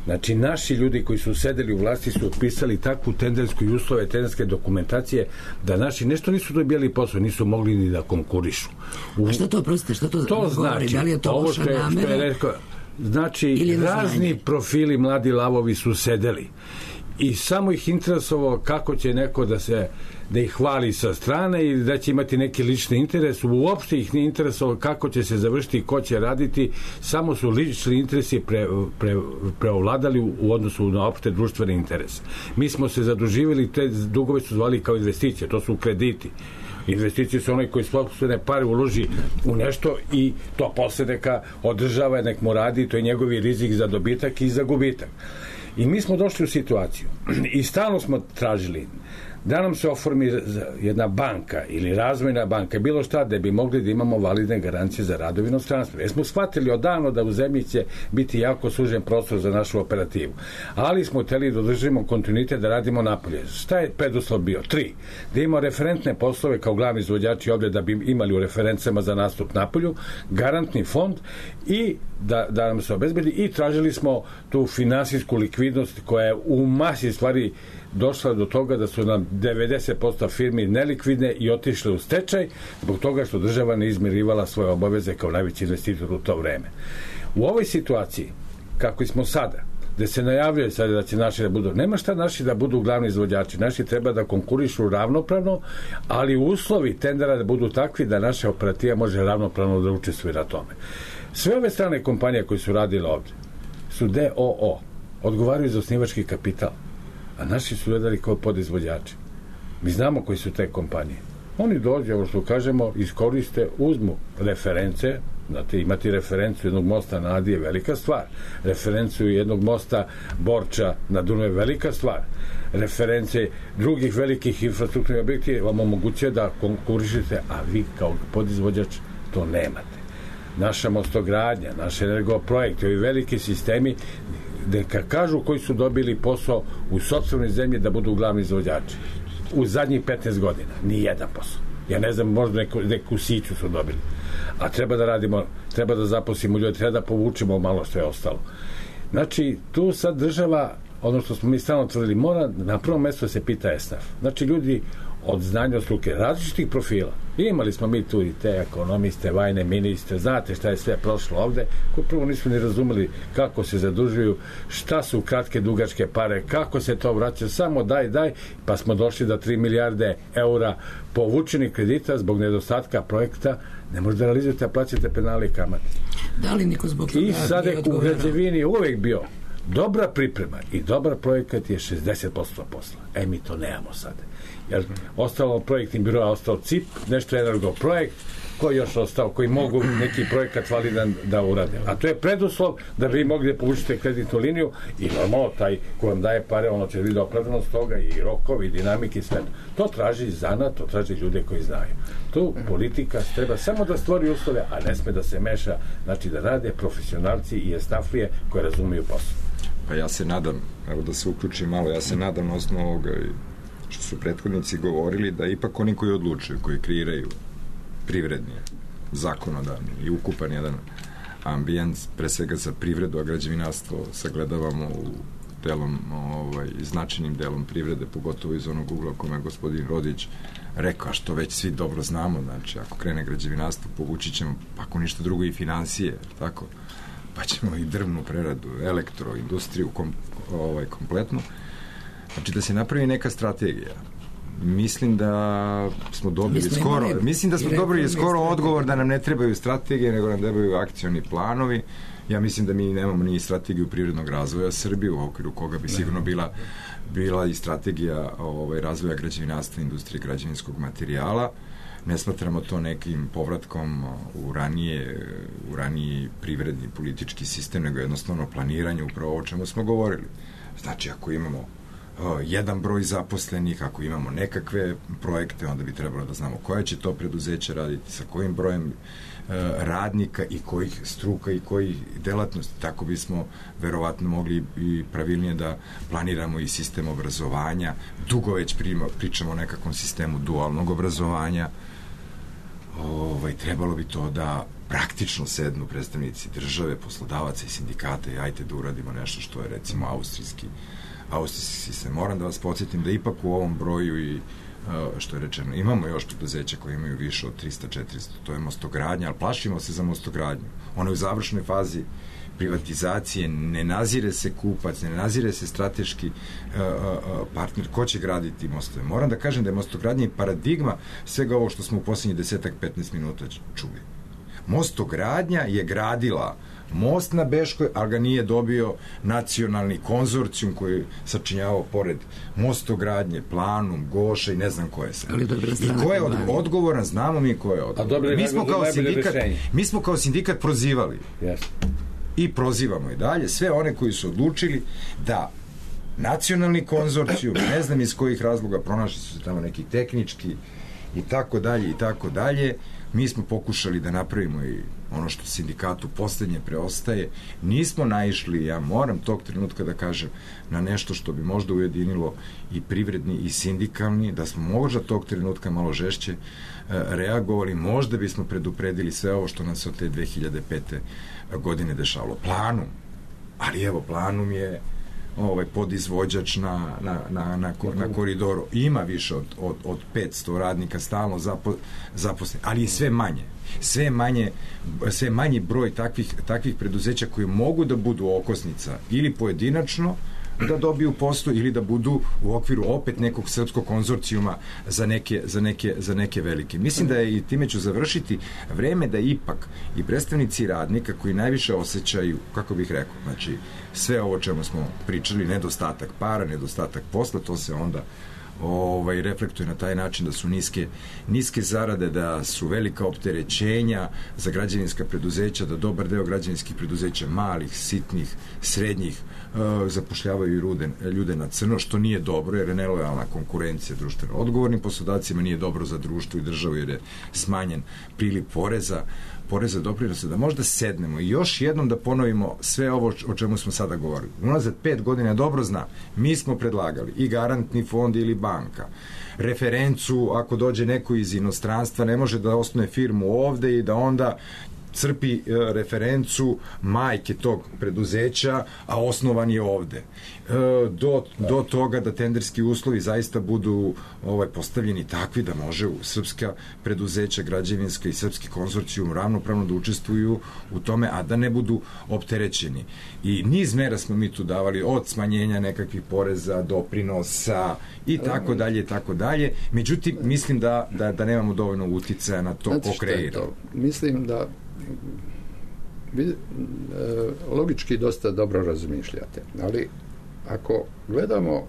[SPEAKER 6] Znači, naši ljudi koji su sedeli u vlasti su otpisali takvu tendersku i uslove tenderske dokumentacije da naši nešto nisu dobijali posao, nisu mogli ni da konkurišu. U...
[SPEAKER 3] A što to, prostite, što to,
[SPEAKER 6] to
[SPEAKER 3] govori?
[SPEAKER 6] Znači,
[SPEAKER 3] da li je to
[SPEAKER 6] ovo
[SPEAKER 3] loša
[SPEAKER 6] što je,
[SPEAKER 3] namera?
[SPEAKER 6] što je rekao, znači, razni profili mladi lavovi su sedeli i samo ih interesovalo kako će neko da se da ih hvali sa strane i da će imati neki lični interes. Uopšte ih nije interesovalo kako će se završiti i ko će raditi. Samo su lični interesi pre, pre, preovladali u, u odnosu na opšte društvene interese. Mi smo se zaduživali, te dugove su zvali kao investicije, to su krediti. Investicije su onaj koji sopstvene pare uloži u nešto i to posle neka održava, nek mu radi, to je njegovi rizik za dobitak i za gubitak. I mi smo došli u situaciju i stalno smo tražili da nam se oformi jedna banka ili razvojna banka, bilo šta, da bi mogli da imamo validne garancije za rad u inostranstvu. Jer smo shvatili odavno da u zemlji će biti jako sužen prostor za našu operativu. Ali smo hteli da održimo kontinuitet da radimo napolje. Šta je preduslov bio? Tri. Da imamo referentne poslove kao glavni izvođači ovde da bi imali u referencama za nastup napolju, garantni fond i da, da nam se obezbedi i tražili smo tu finansijsku likvidnost koja je u masi stvari došla do toga da su nam devedeset posto firmi nelikvidne i otišle u stečaj zbog toga što država ne izmirivala svoje obaveze kao najveći investitor u to vreme. U ovoj situaciji, kako smo sada, gde se najavljuje sada da će naši da budu, nema šta naši da budu glavni izvođači, naši treba da konkurišu ravnopravno, ali uslovi tendera da budu takvi da naša operativa može ravnopravno da učestvuje na tome. Sve ove strane kompanije koje su radile ovde su D O O, odgovaraju za osnivački kapital, a naši su gledali kao podizvođači. Mi znamo koji su te kompanije. Oni dođe, ovo što kažemo, iskoriste, uzmu reference, znate, imati referencu jednog mosta na Adi je velika stvar, referencu jednog mosta Borča na Dunavu je velika stvar, reference drugih velikih infrastrukturnih objekti vam omogućuje da konkurišete, a vi kao podizvođač to nemate. Naša mostogradnja, naš energoprojekt, ovi veliki sistemi, neka kažu koji su dobili posao u sopstvenoj zemlji da budu glavni izvođači. U zadnjih petnaest godina. Ni jedan posao. Ja ne znam, možda neku, neku siću su dobili. A treba da radimo, treba da zaposlimo ljudi, treba da povučemo malo što je ostalo. Znači, tu sad država, ono što smo mi stalno tvrdili, mora na prvom mjestu se pita esnaf. Znači, ljudi od znanja od struke, različitih profila. Imali smo mi tu i te ekonomiste, vajne ministre, znate šta je sve prošlo ovde, koji prvo nisu ni razumeli kako se zadužuju, šta su kratke, dugačke pare, kako se to vraća, samo daj, daj, pa smo došli do tri milijarde eura povučenih kredita zbog nedostatka projekta, ne možete da realizujete, a plaćate penale i kamate.
[SPEAKER 3] Da li niko zbog toga
[SPEAKER 6] I sad je u građevini uvek bio dobra priprema i dobar projekat je šezdeset posto posla. E, mi to nemamo sada. Jer ostalo projektnim biroa, ostao C I P, nešto energo projekt, koji još ostao, koji mogu neki projekat validan da urade. A to je preduslov da vi mogli da povučite kreditnu liniju i normalno taj ko vam daje pare, ono će vidjeti opravdanost toga i rokovi, i dinamike i sve. To traži zanat, to traži ljude koji znaju. Tu politika treba samo da stvori uslove, a ne sme da se meša, znači da rade profesionalci i esnaflije koje razumiju posao.
[SPEAKER 5] Pa ja se nadam, evo da se uključim malo, ja se nadam na osnovu ovoga što su prethodnici govorili, da ipak oni koji odlučuju, koji kreiraju privredni, zakonodavni i ukupan jedan ambijent, pre svega za privredu, a građevinarstvo sagledavamo u delom, ovaj, značajnim delom privrede, pogotovo iz onog ugla kome je gospodin Rodić rekao, a što već svi dobro znamo, znači ako krene građevinarstvo, povući ćemo, ako ništa drugo, i financije, tako, pa ćemo i drvnu preradu, elektro, industriju kom, ovaj, kompletnu. Znači da se napravi neka strategija. Mislim da smo dobili skoro, mislim da smo dobili skoro odgovor da nam ne trebaju strategije, nego nam trebaju akcioni planovi. Ja mislim da mi nemamo ni strategiju privrednog razvoja Srbije, u okviru koga bi sigurno bila bila i strategija ovaj, razvoja građevinarstva, industrije, građevinskog materijala. Ne smatramo to nekim povratkom u ranije, u raniji privredni politički sistem, nego jednostavno planiranje, upravo o čemu smo govorili. Znači, ako imamo uh, jedan broj zaposlenih, ako imamo nekakve projekte, onda bi trebalo da znamo koje će to preduzeće raditi, sa kojim brojem uh, radnika i kojih struka i kojih delatnosti. Tako bismo verovatno mogli i pravilnije da planiramo i sistem obrazovanja. Dugo već prima, pričamo o nekakvom sistemu dualnog obrazovanja. Ovaj, trebalo bi to da praktično sednu predstavnici države, poslodavaca i sindikata i ajte da uradimo nešto što je recimo austrijski austrijski sistem. Moram da vas podsjetim da ipak u ovom broju i što je rečeno, imamo još preduzeća koje imaju više od trista četiristo, to je mostogradnja, ali plašimo se za mostogradnju. Ona je u završnoj fazi privatizacije, ne nazire se kupac, ne nazire se strateški uh, uh, partner, ko će graditi mostove. Moram da kažem da je mostogradnja i paradigma svega ovo što smo u posljednjih desetak petnaest minuta čuli. Mostogradnja je gradila most na Beškoj, ali ga nije dobio nacionalni konzorcijum koji je sačinjavao pored mostogradnje, Planum, Goša i ne znam ko je sve. I ko je od, odgovoran, znamo mi ko je odgovoran. Mi smo kao sindikat, mi smo kao sindikat prozivali. Yes. I prozivamo i dalje sve one koji su odlučili da nacionalni konzorcijum, ne znam iz kojih razloga, pronašli su se tamo neki tehnički i tako dalje i tako dalje. Mi smo pokušali da napravimo i ono što sindikatu poslednje preostaje. Nismo naišli, ja moram tog trenutka da kažem, na nešto što bi možda ujedinilo i privredni i sindikalni, da smo možda tog trenutka malo žešće reagovali, možda bismo predupredili sve ovo što nam se od te dve hiljade pete godine dešavalo. Planum, ali evo, Planum je ovaj podizvođač na, na, na, na, na koridoru. Ima više od, od, od petsto radnika stalno zapo, zaposlenih, ali je sve manje. Sve manje, sve manji broj takvih, takvih preduzeća koji mogu da budu okosnica ili pojedinačno da dobiju posao ili da budu u okviru opet nekog srpskog konzorcijuma za neke, za neke, za neke velike. Mislim da je, i time ću završiti, vreme da ipak i predstavnici radnika koji najviše osjećaju, kako bih rekao, znači sve ovo čemu smo pričali, nedostatak para, nedostatak posla, to se onda ovaj, reflektuje na taj način da su niske, niske zarade, da su velika opterećenja za građevinska preduzeća, da dobar deo građevinskih preduzeća, malih, sitnih, srednjih, uh, zapošljavaju ljude, ljude na crno, što nije dobro, jer je nelojalna konkurencija društveno odgovornim poslodavcima, nije dobro za društvo i državu, jer je smanjen priliv poreza, poreza doprinosa, da možda sednemo i još jednom da ponovimo sve ovo o čemu smo sada govorili. Unazad pet godina dobro zna, mi smo predlagali i garantni fond ili banka, referencu, ako dođe neko iz inostranstva, ne može da osnuje firmu ovde i da onda crpi e, referencu majke tog preduzeća, a osnovan je ovde. E, do, do toga da tenderski uslovi zaista budu ovaj, postavljeni takvi da može u srpska preduzeća, građevinska i srpski konzorcijum ravnopravno da učestvuju u tome, a da ne budu opterećeni. I niz mera smo mi tu davali, od smanjenja nekakvih poreza, doprinosa i tako dalje i tako dalje. Međutim, mislim da, da, da nemamo dovoljno uticaja na to ko kreira.
[SPEAKER 4] Mislim da vi e, logički dosta dobro razmišljate, ali ako gledamo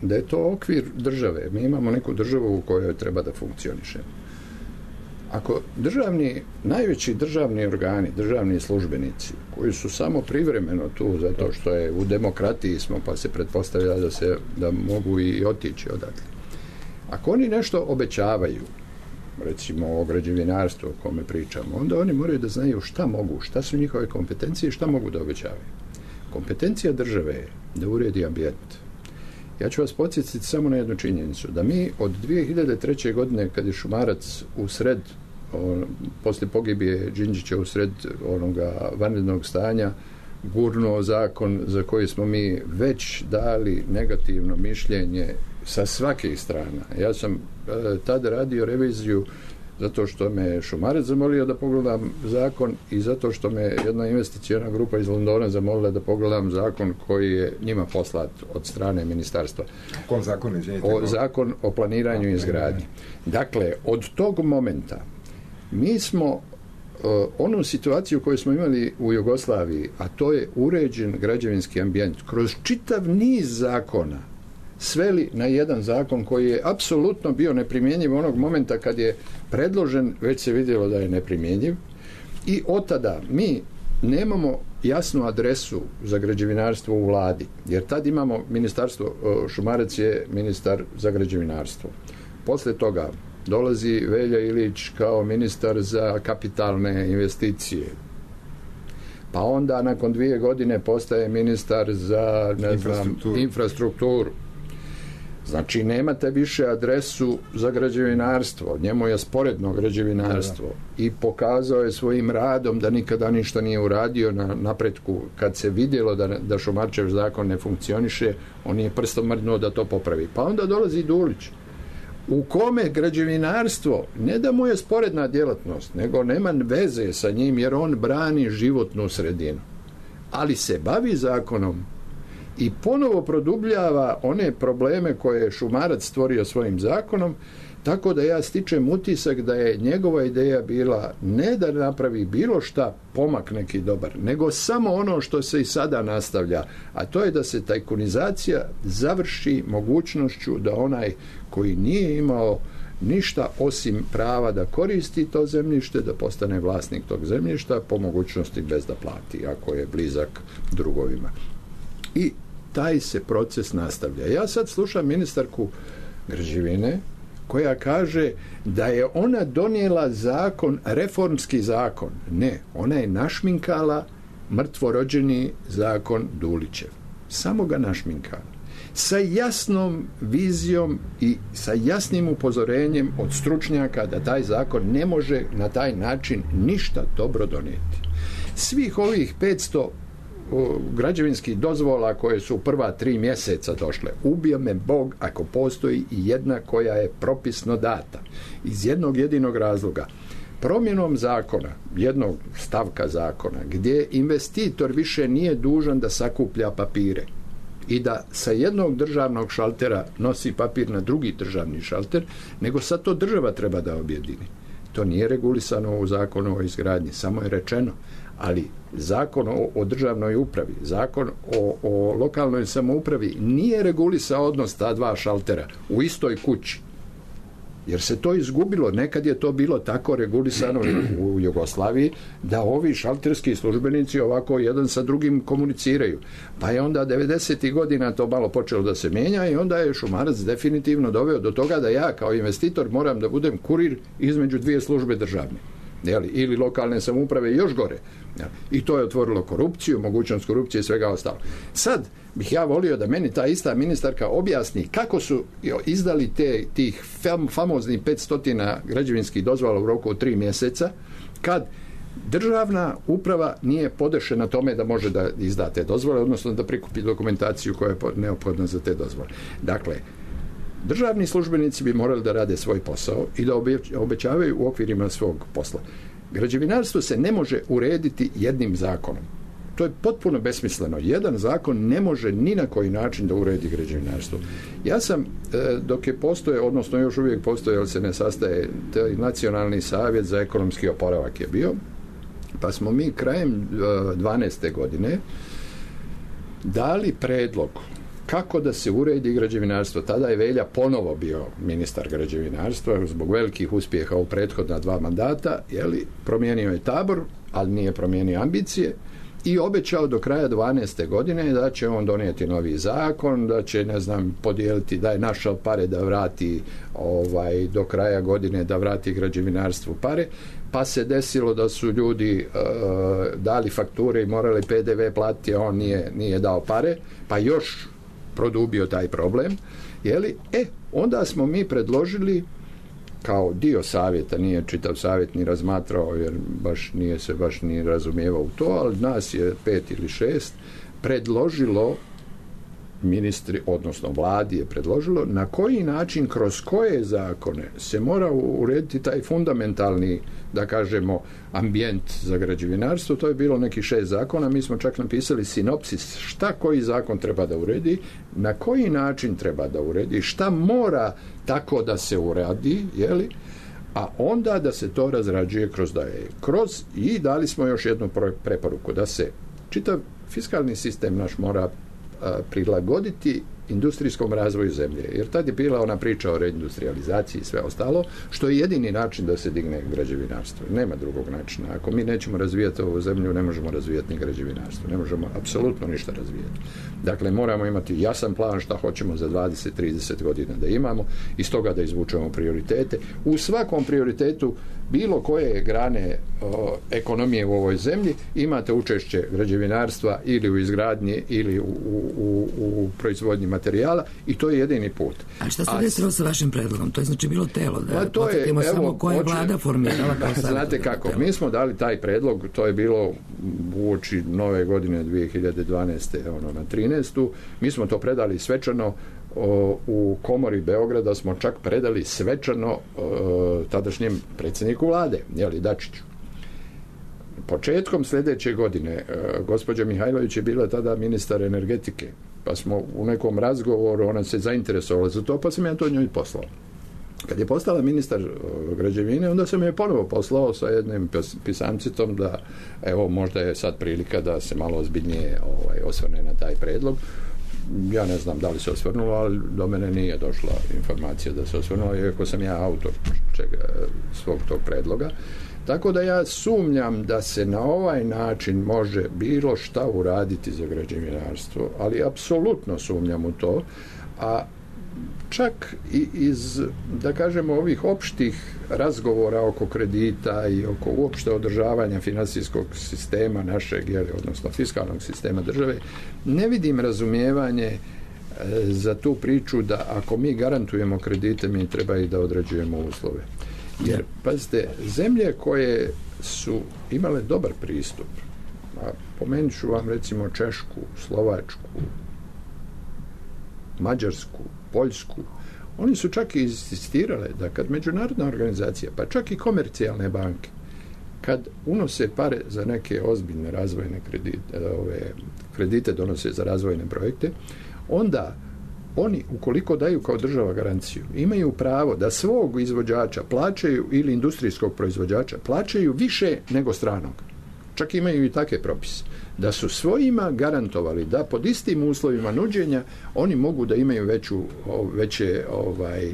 [SPEAKER 4] da je to okvir države, mi imamo neku državu u kojoj treba da funkcioniše. Ako državni, najveći državni organi, državni službenici, koji su samo privremeno tu zato što je u demokratiji smo, pa se pretpostavlja da se da mogu i otići odatle. Ako oni nešto obećavaju, recimo o građevinarstvu o kome pričamo, onda oni moraju da znaju šta mogu, šta su njihove kompetencije i šta mogu da obećavaju. Kompetencija države je da uredi ambijent. Ja ću vas podsjetiti samo na jednu činjenicu, da mi od dve hiljade treće. godine, kad je Šumarac u sred, on, posle pogibije Đinđića u sred onoga vanrednog stanja, gurnuo zakon za koji smo mi već dali negativno mišljenje sa svakih strana. Ja sam e, tada radio reviziju zato što me Šumarec zamolio da pogledam zakon i zato što me jedna investicijona grupa iz Londona zamolila da pogledam zakon koji je njima poslat od strane ministarstva.
[SPEAKER 5] Kom zakon, izvinite?
[SPEAKER 4] O, zakon o planiranju i izgradnji. Dakle, od tog momenta mi smo uh, onu situaciju koju smo imali u Jugoslaviji, a to je uređen građevinski ambijent, kroz čitav niz zakona sveli na jedan zakon koji je apsolutno bio neprimjenjiv onog momenta kad je predložen, već se vidjelo da je neprimjenjiv i od tada mi nemamo jasnu adresu za građevinarstvo u vladi, jer tad imamo ministarstvo, Šumarec je ministar za građevinarstvo. Posle toga dolazi Velja Ilić kao ministar za kapitalne investicije. Pa onda nakon dvije godine postaje ministar za ne znam, infrastrukturu. Znači, nemate više adresu za građevinarstvo. Njemu je sporedno građevinarstvo. I pokazao je svojim radom da nikada ništa nije uradio na napretku. Kad se vidjelo da, da Šumarčev zakon ne funkcioniše, on je prstom mrdnuo da to popravi. Pa onda dolazi Dulić, u kome građevinarstvo ne da mu je sporedna djelatnost, nego nema veze sa njim, jer on brani životnu sredinu. Ali se bavi zakonom i ponovo produbljava one probleme koje je Šumarac stvorio svojim zakonom, tako da ja stičem utisak da je njegova ideja bila ne da napravi bilo šta pomak neki dobar, nego samo ono što se i sada nastavlja, a to je da se tajkunizacija završi mogućnošću da onaj koji nije imao ništa osim prava da koristi to zemljište, da postane vlasnik tog zemljišta, po mogućnosti bez da plati, ako je blizak drugovima. I taj se proces nastavlja. Ja sad slušam ministarku građevine koja kaže da je ona donijela zakon, reformski zakon. Ne, ona je našminkala mrtvorođeni zakon Dulićev. Samo ga našminkala. Sa jasnom vizijom i sa jasnim upozorenjem od stručnjaka da taj zakon ne može na taj način ništa dobro donijeti. Svih ovih petsto građevinskih dozvola koje su prva tri mjeseca došle, ubio me Bog ako postoji i jedna koja je propisno data. Iz jednog jedinog razloga. Promjenom zakona, jednog stavka zakona, gdje investitor više nije dužan da sakuplja papire i da sa jednog državnog šaltera nosi papir na drugi državni šalter, nego sad to država treba da objedini. To nije regulisano u zakonu o izgradnji, samo je rečeno. Ali zakon o, o državnoj upravi, zakon o, o lokalnoj samoupravi nije regulisao odnos ta dva šaltera u istoj kući. Jer se to izgubilo. Nekad je to bilo tako regulisano u Jugoslaviji da ovi šalterski službenici ovako jedan sa drugim komuniciraju. Pa je onda devedesetih godina to malo počelo da se mijenja i onda je Šumarac definitivno doveo do toga da ja kao investitor moram da budem kurir između dvije službe državne. Jeli, ili lokalne samouprave još gore. Jeli, i to je otvorilo korupciju, mogućnost korupcije i svega ostalo. Sad bih ja volio da meni ta ista ministarka objasni kako su izdali te, tih fam, famoznih petsto građevinskih dozvola u roku od tri mjeseca, kad državna uprava nije podešena tome da može da izda te dozvole, odnosno da prikupi dokumentaciju koja je neophodna za te dozvole. Dakle, državni službenici bi morali da rade svoj posao i da obećavaju u okvirima svog posla. Građevinarstvo se ne može urediti jednim zakonom. To je potpuno besmisleno. Jedan zakon ne može ni na koji način da uredi građevinarstvo. Ja sam, dok je postoje, odnosno još uvijek postoje, ali se ne sastaje, Nacionalni savjet za ekonomski oporavak je bio, pa smo mi krajem dvanaeste godine dali predlog kako da se uredi građevinarstvo. Tada je Velja ponovo bio ministar građevinarstva zbog velikih uspjeha u prethodna dva mandata, jeli, promijenio je tabor, ali nije promijenio ambicije i obećao do kraja dvanaeste godine da će on donijeti novi zakon, da će, ne znam, podijeliti, da je našao pare da vrati ovaj, do kraja godine da vrati građevinarstvu pare, pa se desilo da su ljudi uh, dali fakture i morali P D V platiti, a on nije, nije dao pare, pa još produbio taj problem, jeli? E, onda smo mi predložili kao dio savjeta, nije čitav savjet ni razmatrao, jer baš nije se baš ni razumijevao u to, ali nas je pet ili šest predložilo, ministri, odnosno vladi je predložilo, na koji način, kroz koje zakone se mora urediti taj fundamentalni, da kažemo, ambijent za građevinarstvo. To je bilo nekih šest zakona, mi smo čak napisali sinopsis šta koji zakon treba da uredi, na koji način treba da uredi, šta mora tako da se uradi, jeli, a onda da se to razrađuje kroz daje. Kroz, i dali smo još jednu preporuku, da se čitav fiskalni sistem naš mora a, prilagoditi industrijskom razvoju zemlje, jer tad je bila ona priča o reindustrializaciji i sve ostalo, što je jedini način da se digne građevinarstvo. Nema drugog načina. Ako mi nećemo razvijati ovu zemlju, ne možemo razvijati ni građevinarstvo. Ne možemo apsolutno ništa razvijati. Dakle, moramo imati jasan plan šta hoćemo za dvadeset do trideset godina da imamo, iz toga da izvučemo prioritete. U svakom prioritetu bilo koje grane o, ekonomije u ovoj zemlji imate učešće građevinarstva ili u izgradnji ili u, u, u proizvodnji materijala, i to je jedini put.
[SPEAKER 3] A šta se desilo sa vašim predlogom? To je znači bilo telo, da
[SPEAKER 4] to je, evo,
[SPEAKER 3] samo koja je vlada formirala.
[SPEAKER 4] Znate kako, mi smo dali taj predlog, to je bilo uoči nove godine dvije hiljade dvanaeste ono, na trinaestu. Mi smo to predali svečano o, u komori Beograda, smo čak predali svečano o, tadašnjem predsjedniku vlade, jeli, Dačiću. Početkom sljedeće godine o, gospođa Mihajlović je bila tada ministar energetike, pa smo u nekom razgovoru, ona se zainteresovala za to, pa sam ja to njoj poslao. Kad je postala ministar građevine, onda sam je ponovo poslao sa jednim pisancitom da, evo, možda je sad prilika da se malo ozbiljnije ovaj, osvrne na taj predlog. Ja ne znam da li se osvrnulo, ali do mene nije došla informacija da se osvrnulo, iako sam ja autor čega, svog tog predloga. Tako da ja sumnjam da se na ovaj način može bilo šta uraditi za građevinarstvo, ali apsolutno sumnjam u to, a čak i iz, da kažemo, ovih opštih razgovora oko kredita i oko uopšte održavanja finansijskog sistema našeg, jeli, odnosno fiskalnog sistema države, ne vidim razumijevanje e, za tu priču da ako mi garantujemo kredite, mi treba i da određujemo uslove. Jer, pazite, zemlje koje su imale dobar pristup, a pomenut ću vam recimo Češku, Slovačku, Mađarsku, Poljsku, oni su čak i insistirale da kad međunarodna organizacija, pa čak i komercijalne banke, kad unose pare za neke ozbiljne razvojne kredite, ove kredite donose za razvojne projekte, onda oni, ukoliko daju kao država garanciju, imaju pravo da svog izvođača plaćaju, ili industrijskog proizvođača, plaćaju više nego stranog. Čak imaju i takve propise. Da su svojima garantovali da pod istim uslovima nuđenja oni mogu da imaju veću, veće, ovaj,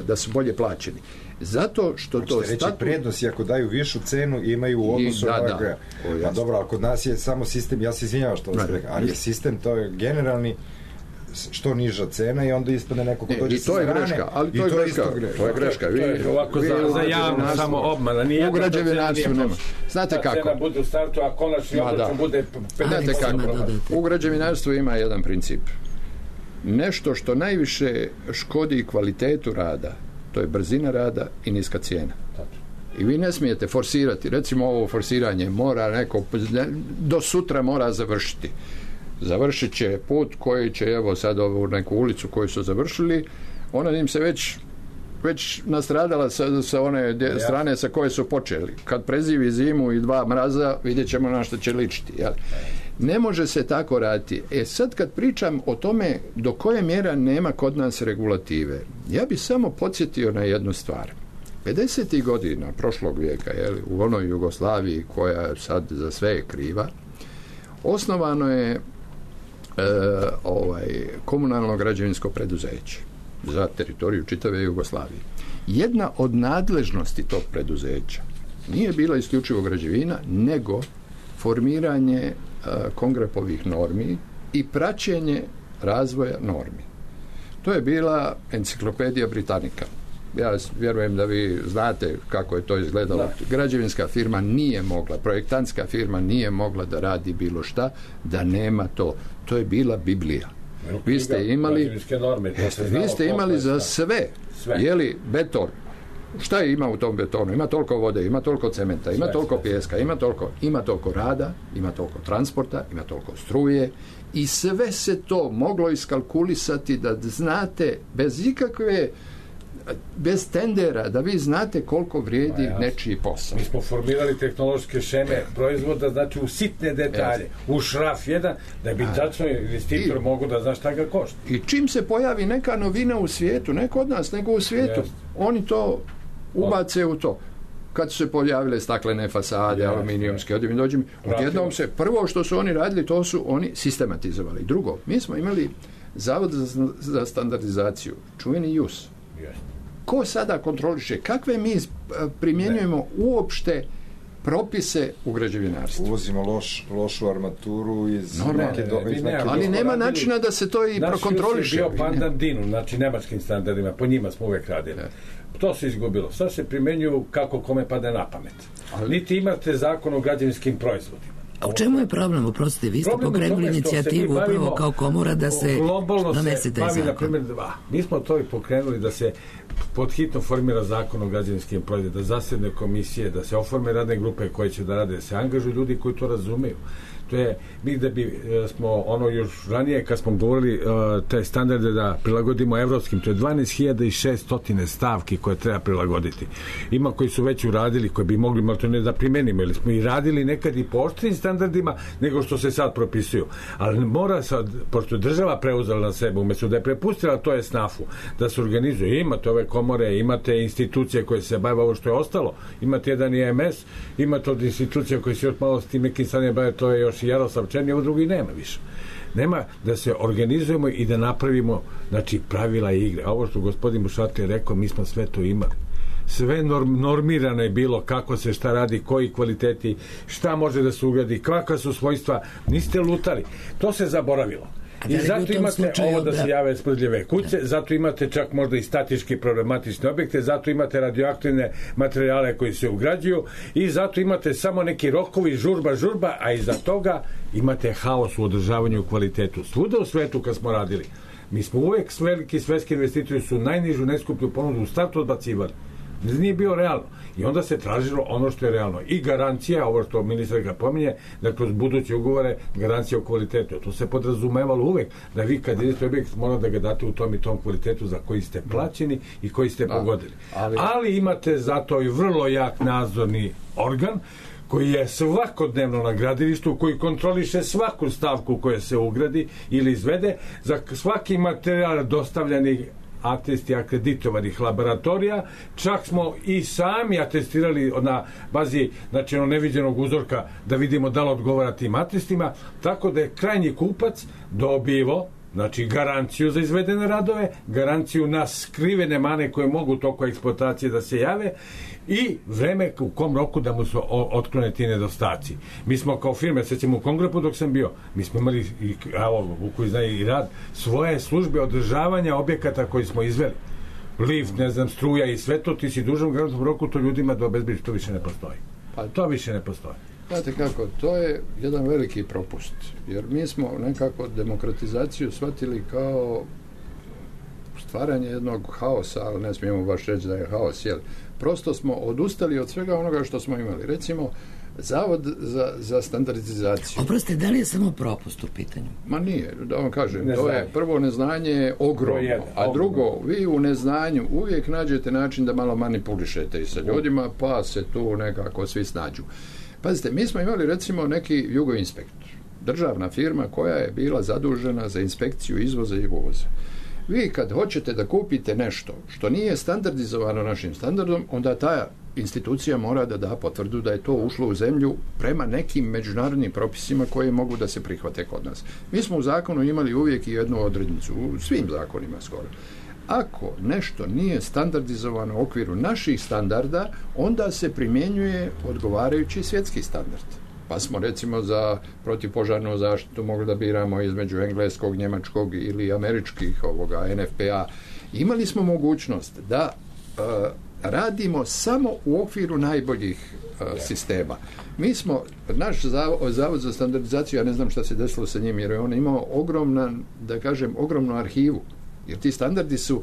[SPEAKER 4] da su bolje plaćeni. Zato što to
[SPEAKER 5] reći statu... prednost, i ako daju višu cenu imaju u odnosu na ovoga. Pa dobro, ali kod nas je samo sistem, ja se izvinjavam što vas rekao, ali je sistem, to je generalni, što niža cena i onda ispadne neko ko dođe sa strane.
[SPEAKER 4] I to je greška, ali to je greška. To je greška.
[SPEAKER 6] Vi, to je ovako vi, za, za javno samo obmana. Nije
[SPEAKER 4] u građevinarstvu nema. Znate kako?
[SPEAKER 6] Cena bude u startu, a konačni obračun bude pedeset posto.
[SPEAKER 4] U građevinarstvu ima jedan princip. Nešto što najviše škodi kvalitetu rada, to je brzina rada i niska cijena. I vi ne smijete forsirati. Recimo, ovo forsiranje mora neko, do sutra mora završiti. Završit će put koji će, evo sad ovu neku ulicu koju su završili, ona im se već već nastradala sa, sa one de, strane sa koje su počeli. Kad prezivi zimu i dva mraza, vidjet ćemo na što će ličiti. Jel? Ne može se tako raditi. E sad kad pričam o tome do koje mjera nema kod nas regulative, ja bih samo podsjetio na jednu stvar. pedesetih godina prošlog vijeka, jel, u onoj Jugoslaviji koja sad za sve je kriva, osnovano je E, ovaj, komunalno građevinsko preduzeće za teritoriju čitave Jugoslavije. Jedna od nadležnosti tog preduzeća nije bila isključivo građevina, nego formiranje e, Kongrepovih normi i praćenje razvoja normi. To je bila enciklopedija Britanika. Ja vjerujem da vi znate kako je to izgledalo. Da. Građevinska firma nije mogla, projektantska firma nije mogla da radi bilo šta, da nema to. To je bila Biblija. Vi ste imali,
[SPEAKER 6] norme,
[SPEAKER 4] jeste, vi ste imali za sve. sve. Jeli beton, šta je ima u tom betonu? Ima toliko vode, ima toliko cementa, ima toliko pijeska, ima toliko, ima toliko rada, ima toliko transporta, ima toliko struje i sve se to moglo iskalkulisati da znate bez ikakve bez tendera, da vi znate koliko vrijedi ja, nečiji posao.
[SPEAKER 6] Mi smo formirali tehnološke šeme proizvoda, znači u sitne detalje, u šraf jedan, da bi tačno investitor mogu da zna šta ga košta.
[SPEAKER 4] I čim se pojavi neka novina u svijetu, ne kod nas, nego u svijetu, yes. oni to ubace u to. Kad su se pojavile staklene fasade, yes. aluminijumske, odjednom dođem, odjednom se, prvo što su oni radili, to su oni sistematizovali. Drugo, mi smo imali Zavod za, za standardizaciju, čuveni J U S. Yes. Ko sada kontroliše? Kakve mi primjenjujemo ne. uopšte propise u građevinarstvu?
[SPEAKER 5] Uvozimo loš, lošu armaturu iz
[SPEAKER 4] no, neke do, iz neke ali do... nema načina da se to i naš prokontroliše.
[SPEAKER 6] Naš bio pandan Dinu, znači nemačkim standardima, po njima smo uvek radili. Ne. To se izgubilo. Sad se primenjuju kako kome pade na pamet. Ali niti imate zakon o građevinskim proizvodima.
[SPEAKER 3] A u čemu je problem? Uprostite, vi ste pokrenuli inicijativu upravo kao komora da se donese taj zakon. Na primjer, a,
[SPEAKER 6] mi smo to i pokrenuli da se podhitno formira zakon o građevinskim proizvodima, da zasedne komisije, da se oforme radne grupe koje će da rade, da se angažuju ljudi koji to razumeju. To je, mi da bi smo ono još ranije kad smo govorili uh, te standarde da prilagodimo evropskim, to je dvanaest hiljada šesto stavki koje treba prilagoditi. Ima koji su već uradili, koji bi mogli malo to ne da primenimo, ili smo i radili nekad i po oštrim standardima nego što se sad propisuju. Ali mora sad, pošto država preuzela na sebe, umjesto da je prepustila to je snafu, da se organizuje. Imate ove komore, imate institucije koje se bave ovo što je ostalo, imate jedan I M S, imate od institucija koje se još malo s tim nekim stanjem bave, to je još i Jaroslav Černi, ovo drugi nema više. Nema da se organizujemo i da napravimo, znači, pravila igre. A ovo što gospodin Bušati je rekao, mi smo sve to imali. Sve norm, normirano je bilo kako se šta radi, koji kvaliteti, šta može da se ugradi, kakva su svojstva. Niste lutali. To se zaboravilo. I zato imate ovo da se jave smrdljive kuće, zato imate čak možda i statički problematične objekte, zato imate radioaktivne materijale koji se ugrađuju i zato imate samo neki rokovi, žurba, žurba, a iza toga imate haos u održavanju u kvalitetu. Svuda u svetu kad smo radili, mi smo uvek veliki svetski investitori su najnižu, najskuplju ponudu u startu odbacivali. Nije bio realno. I onda se tražilo ono što je realno. I garancija, ovo što ministar ga pominje, da kroz buduće ugovore garancija o kvalitetu. To se podrazumevalo uvek, da vi kad idete objekt mora da ga date u tom i tom kvalitetu za koji ste plaćeni i koji ste da, pogodili. Ali... ali imate zato i vrlo jak nadzorni organ koji je svakodnevno na gradilištu, koji kontroliše svaku stavku koja se ugradi ili izvede, za svaki materijal dostavljeni atesti akreditovanih laboratorija, čak smo i sami atestirali na bazi, znači ono neviđenog uzorka da vidimo da li odgovara tim atestima, tako da je krajnji kupac dobivo, znači garanciju za izvedene radove, garanciju na skrivene mane koje mogu toko eksploatacije da se jave i vreme u kom roku da mu se otklone ti nedostaci. Mi smo kao firme, sećamo u Kongrepu dok sam bio, mi smo imali i, evo, koji zna i rad, svoje službe održavanja objekata koji smo izveli. Lift, ne znam, struja i sve to, ti si dužan u garantskom roku to ljudima da obezbediš, to više ne postoji. Pa to više ne postoji.
[SPEAKER 4] Znate kako, to je jedan veliki propust, jer mi smo nekako demokratizaciju shvatili kao stvaranje jednog haosa, ali ne smijemo baš reći da je haos, jer prosto smo odustali od svega onoga što smo imali. Recimo, Zavod za, za standardizaciju.
[SPEAKER 3] Oprostite, da li je samo propust u pitanju?
[SPEAKER 4] Ma nije, da vam kažem, to je prvo neznanje ogromno, jedan, a drugo, vi u neznanju uvijek nađete način da malo manipulišete i sa ljudima, pa se tu nekako svi snađu. Pazite, mi smo imali recimo neki Jugoinspektor, državna firma koja je bila zadužena za inspekciju izvoza i uvoza. Vi kad hoćete da kupite nešto što nije standardizovano našim standardom, onda ta institucija mora da da potvrdu da je to ušlo u zemlju prema nekim međunarodnim propisima koje mogu da se prihvate kod nas. Mi smo u zakonu imali uvijek i jednu odrednicu, u svim zakonima skoro. Ako nešto nije standardizovano u okviru naših standarda, onda se primjenjuje odgovarajući svjetski standard. Pa smo recimo za protivpožarnu zaštitu mogli da biramo između engleskog, njemačkog ili američkih ovoga N F P A. Imali smo mogućnost da uh, radimo samo u okviru najboljih uh, sistema. Mi smo, naš zavod, zavod za standardizaciju, ja ne znam šta se desilo sa njim, jer je on imao ogromna, da kažem, ogromnu arhivu. Jer ti standardi su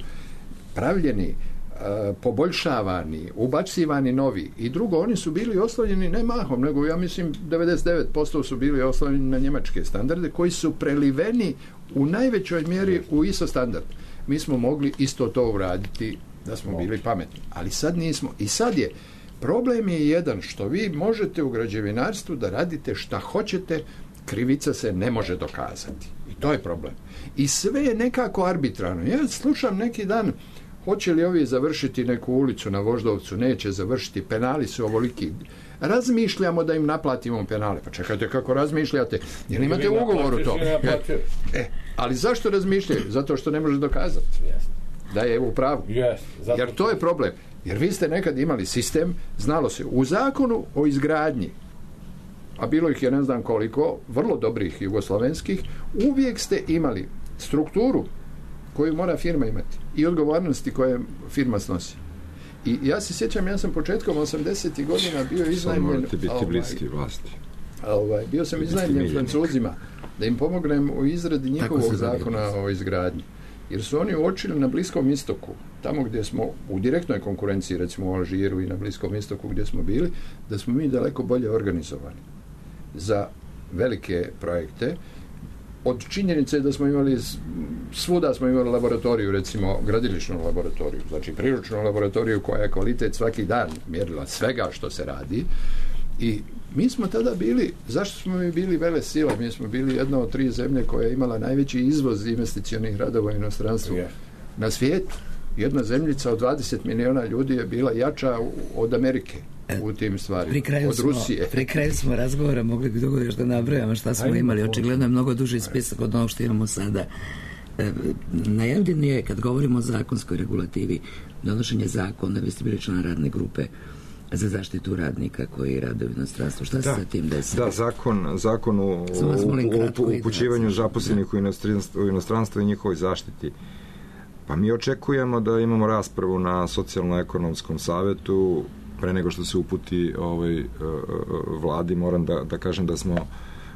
[SPEAKER 4] pravljeni uh, poboljšavani, ubacivani novi. I drugo, oni su bili oslonjeni ne mahom, nego ja mislim devedeset devet posto su bili oslonjeni na njemačke standarde koji su preliveni u najvećoj mjeri u I S O standard. Mi smo mogli isto to uraditi da smo bili pametni. Ali sad nismo. I sad je, problem je jedan što vi možete u građevinarstvu da radite šta hoćete, krivica se ne može dokazati. I to je problem. I sve je nekako arbitrarno. Ja slušam neki dan, hoće li ovi završiti neku ulicu na Voždovcu, neće završiti, penali su ovoliki. Razmišljamo da im naplatimo penale. Pa čekajte, kako razmišljate? Jel imate u ugovoru to? E, ali zašto razmišljaju? Zato što ne može dokazati da je u pravu. Jer to je problem. Jer vi ste nekad imali sistem, znalo se, u zakonu o izgradnji, a bilo ih je ne znam koliko, vrlo dobrih jugoslavenskih, uvijek ste imali strukturu koju mora firma imati i odgovornosti koje firma snosi. I ja se sjećam, ja sam početkom osamdesetih godina bio iznajmljen, ovaj, ovaj, bio sam iznajmljen Francuzima da im pomognem u izradi njihovog zakona o izgradnji. Jer su oni uočili na Bliskom istoku, tamo gdje smo u direktnoj konkurenciji, recimo u Alžiru i na Bliskom istoku gdje smo bili, da smo mi daleko bolje organizovani za velike projekte. Od činjenice da smo imali, svuda smo imali laboratoriju, recimo gradilišnu laboratoriju, znači priručnu laboratoriju koja je kvalitet svaki dan mjerila svega što se radi. I mi smo tada bili, zašto smo mi bili vele sila? Mi smo bili jedna od tri zemlje koja je imala najveći izvoz investicionih radova u inostranstvu yeah. na svijetu. Jedna zemljica od dvadeset miliona ljudi je bila jača od Amerike u tim stvarima, od smo, Rusije.
[SPEAKER 3] Pri kraju smo razgovora mogli bi dugo još da nabrojamo šta smo Ajde, imali. Očigledno je mnogo duži spisak od onog što imamo sada. E, najavljen je, kad govorimo o zakonskoj regulativi, donošenje zakona, vi ste bili član radne grupe za zaštitu radnika koji rade u inostranstvu. Šta se sa tim desilo?
[SPEAKER 5] Da, zakon, zakon o, o upućivanju zaposlenih u inostranstvo, u inostranstvo i njihovoj zaštiti. Pa mi očekujemo da imamo raspravu na socijalno-ekonomskom savetu pre nego što se uputi ovaj, vladi. Moram da, da kažem da smo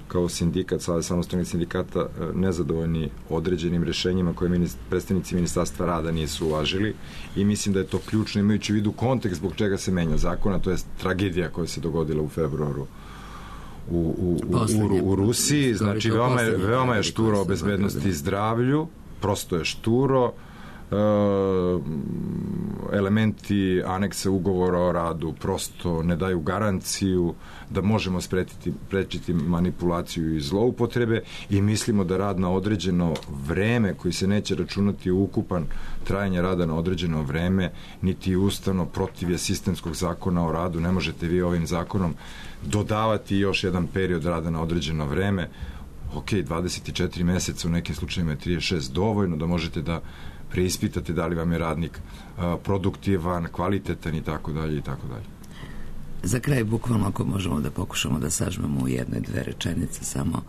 [SPEAKER 5] kao sindikat, Savez samostalnih sindikata, nezadovoljni određenim rešenjima koje minist, predstavnici Ministarstva rada nisu uvažili i mislim da je to ključno imajući u vidu kontekst zbog čega se menja zakona, to je tragedija koja se dogodila u februaru u, u, u, u, u Rusiji, znači veoma je, veoma je šturo o bezbednosti i zdravlju, prosto je šturo. Uh, elementi aneksa ugovora o radu prosto ne daju garanciju da možemo spretiti, prečiti manipulaciju i zloupotrebe i mislimo da rad na određeno vreme koji se neće računati u ukupan trajanje rada na određeno vreme niti ustavno protiv je sistemskog zakona o radu. Ne možete vi ovim zakonom dodavati još jedan period rada na određeno vreme. Ok, dvadeset četiri meseca, u nekim slučajima je trideset šest dovoljno da možete da preispitate da li vam je radnik a, produktivan, kvalitetan i tako dalje i tako dalje.
[SPEAKER 3] Za kraj, bukvalno, ako možemo da pokušamo da sažmemo u jednoj, dve rečenice samo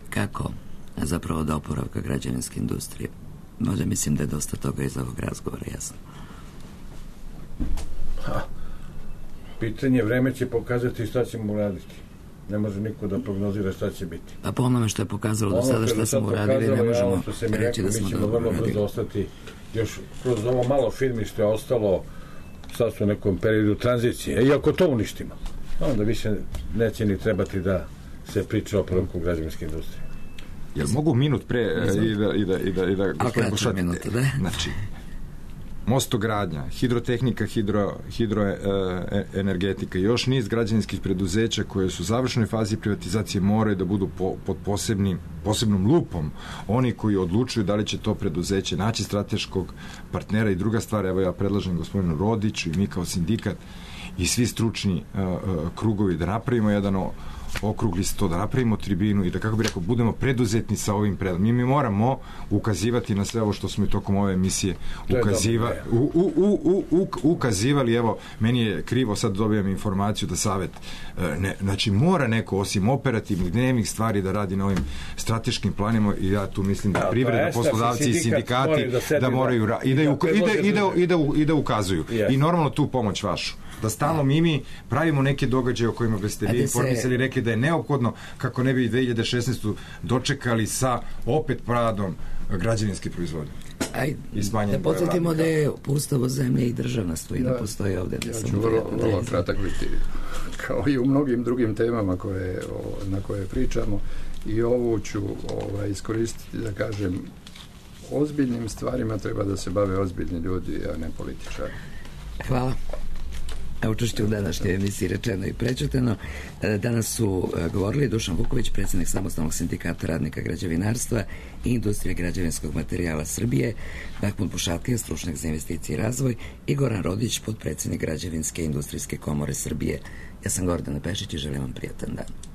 [SPEAKER 3] kako zapravo da oporavka građevinske industrije. Možda mislim da je dosta toga iz ovog razgovora jasno.
[SPEAKER 6] Ha. Pitanje, vreme će pokazati šta ćemo uraditi. Ne može niko da prognozira šta će biti.
[SPEAKER 3] Pa po onome što je pokazalo do sada šta smo uradili, ne možemo
[SPEAKER 6] ja, reći da smo dobro uradili. Mi ćemo vrlo brzo ostati, još kroz ovo malo firmi što je ostalo, sad su u nekom periodu tranzicije. I ako to uništimo, onda više neće ni trebati da se priča o oporavku građevinske industrije.
[SPEAKER 5] Jel mogu minut pre i da... I da, i da, i da
[SPEAKER 3] A kraća minuta, da?
[SPEAKER 5] Znači, mostogradnja, hidrotehnika, hidro, hidroenergetika, još niz građevinskih preduzeća koje su u završnoj fazi privatizacije moraju da budu po, pod posebnim, posebnom lupom. Oni koji odlučuju da li će to preduzeće naći strateškog partnera i druga stvar, evo ja predlažem gospodinu Rodiću i mi kao sindikat i svi stručni uh, uh, krugovi da napravimo jedan o, okrugli sto, da napravimo tribinu i da, kako bih rekao, budemo preduzetni sa ovim predlogom. Mi, mi moramo ukazivati na sve ovo što smo i tokom ove emisije ukaziva, u, u, u, u, ukazivali. Evo, meni je krivo, sad dobijam informaciju da savet ne, znači mora neko osim operativnih dnevnih stvari da radi na ovim strateškim planima i ja tu mislim da privreda, poslodavci i sindikati da, da moraju ra- i, da, i, da, i, da, i, da, i, da, i da ukazuju. I normalno tu pomoć vašu. Da stalno mi mi pravimo neke događaje o kojima biste vi informisali, rekli da je neophodno kako ne bi dve hiljade šesnaestu dočekali sa opet padom građevinske proizvodnje.
[SPEAKER 3] Aj,
[SPEAKER 5] i smanjen
[SPEAKER 3] da podsjetimo da je Ustavo zemlje i državna svojina
[SPEAKER 4] Ja,
[SPEAKER 3] postoji ovde.
[SPEAKER 4] ja ću vrlo, vrlo kratak biti. Kao i u mnogim drugim temama koje, o, na koje pričamo, i ovu ću ovaj, iskoristiti da kažem, ozbiljnim stvarima treba da se bave ozbiljni ljudi, a ne političari.
[SPEAKER 3] Hvala. Učešće u današnjoj emisiji Rečeno i prećutano. Danas su govorili Dušan Vuković, predsjednik Samostalnog sindikata radnika građevinarstva i industrije građevinskog materijala Srbije, Mahmud Bušatkija, stručnjak za investicije i razvoj, i Goran Rodić, potpredsjednik Građevinske industrijske komore Srbije. Ja sam Gordana Pešić i želim vam prijatan dan.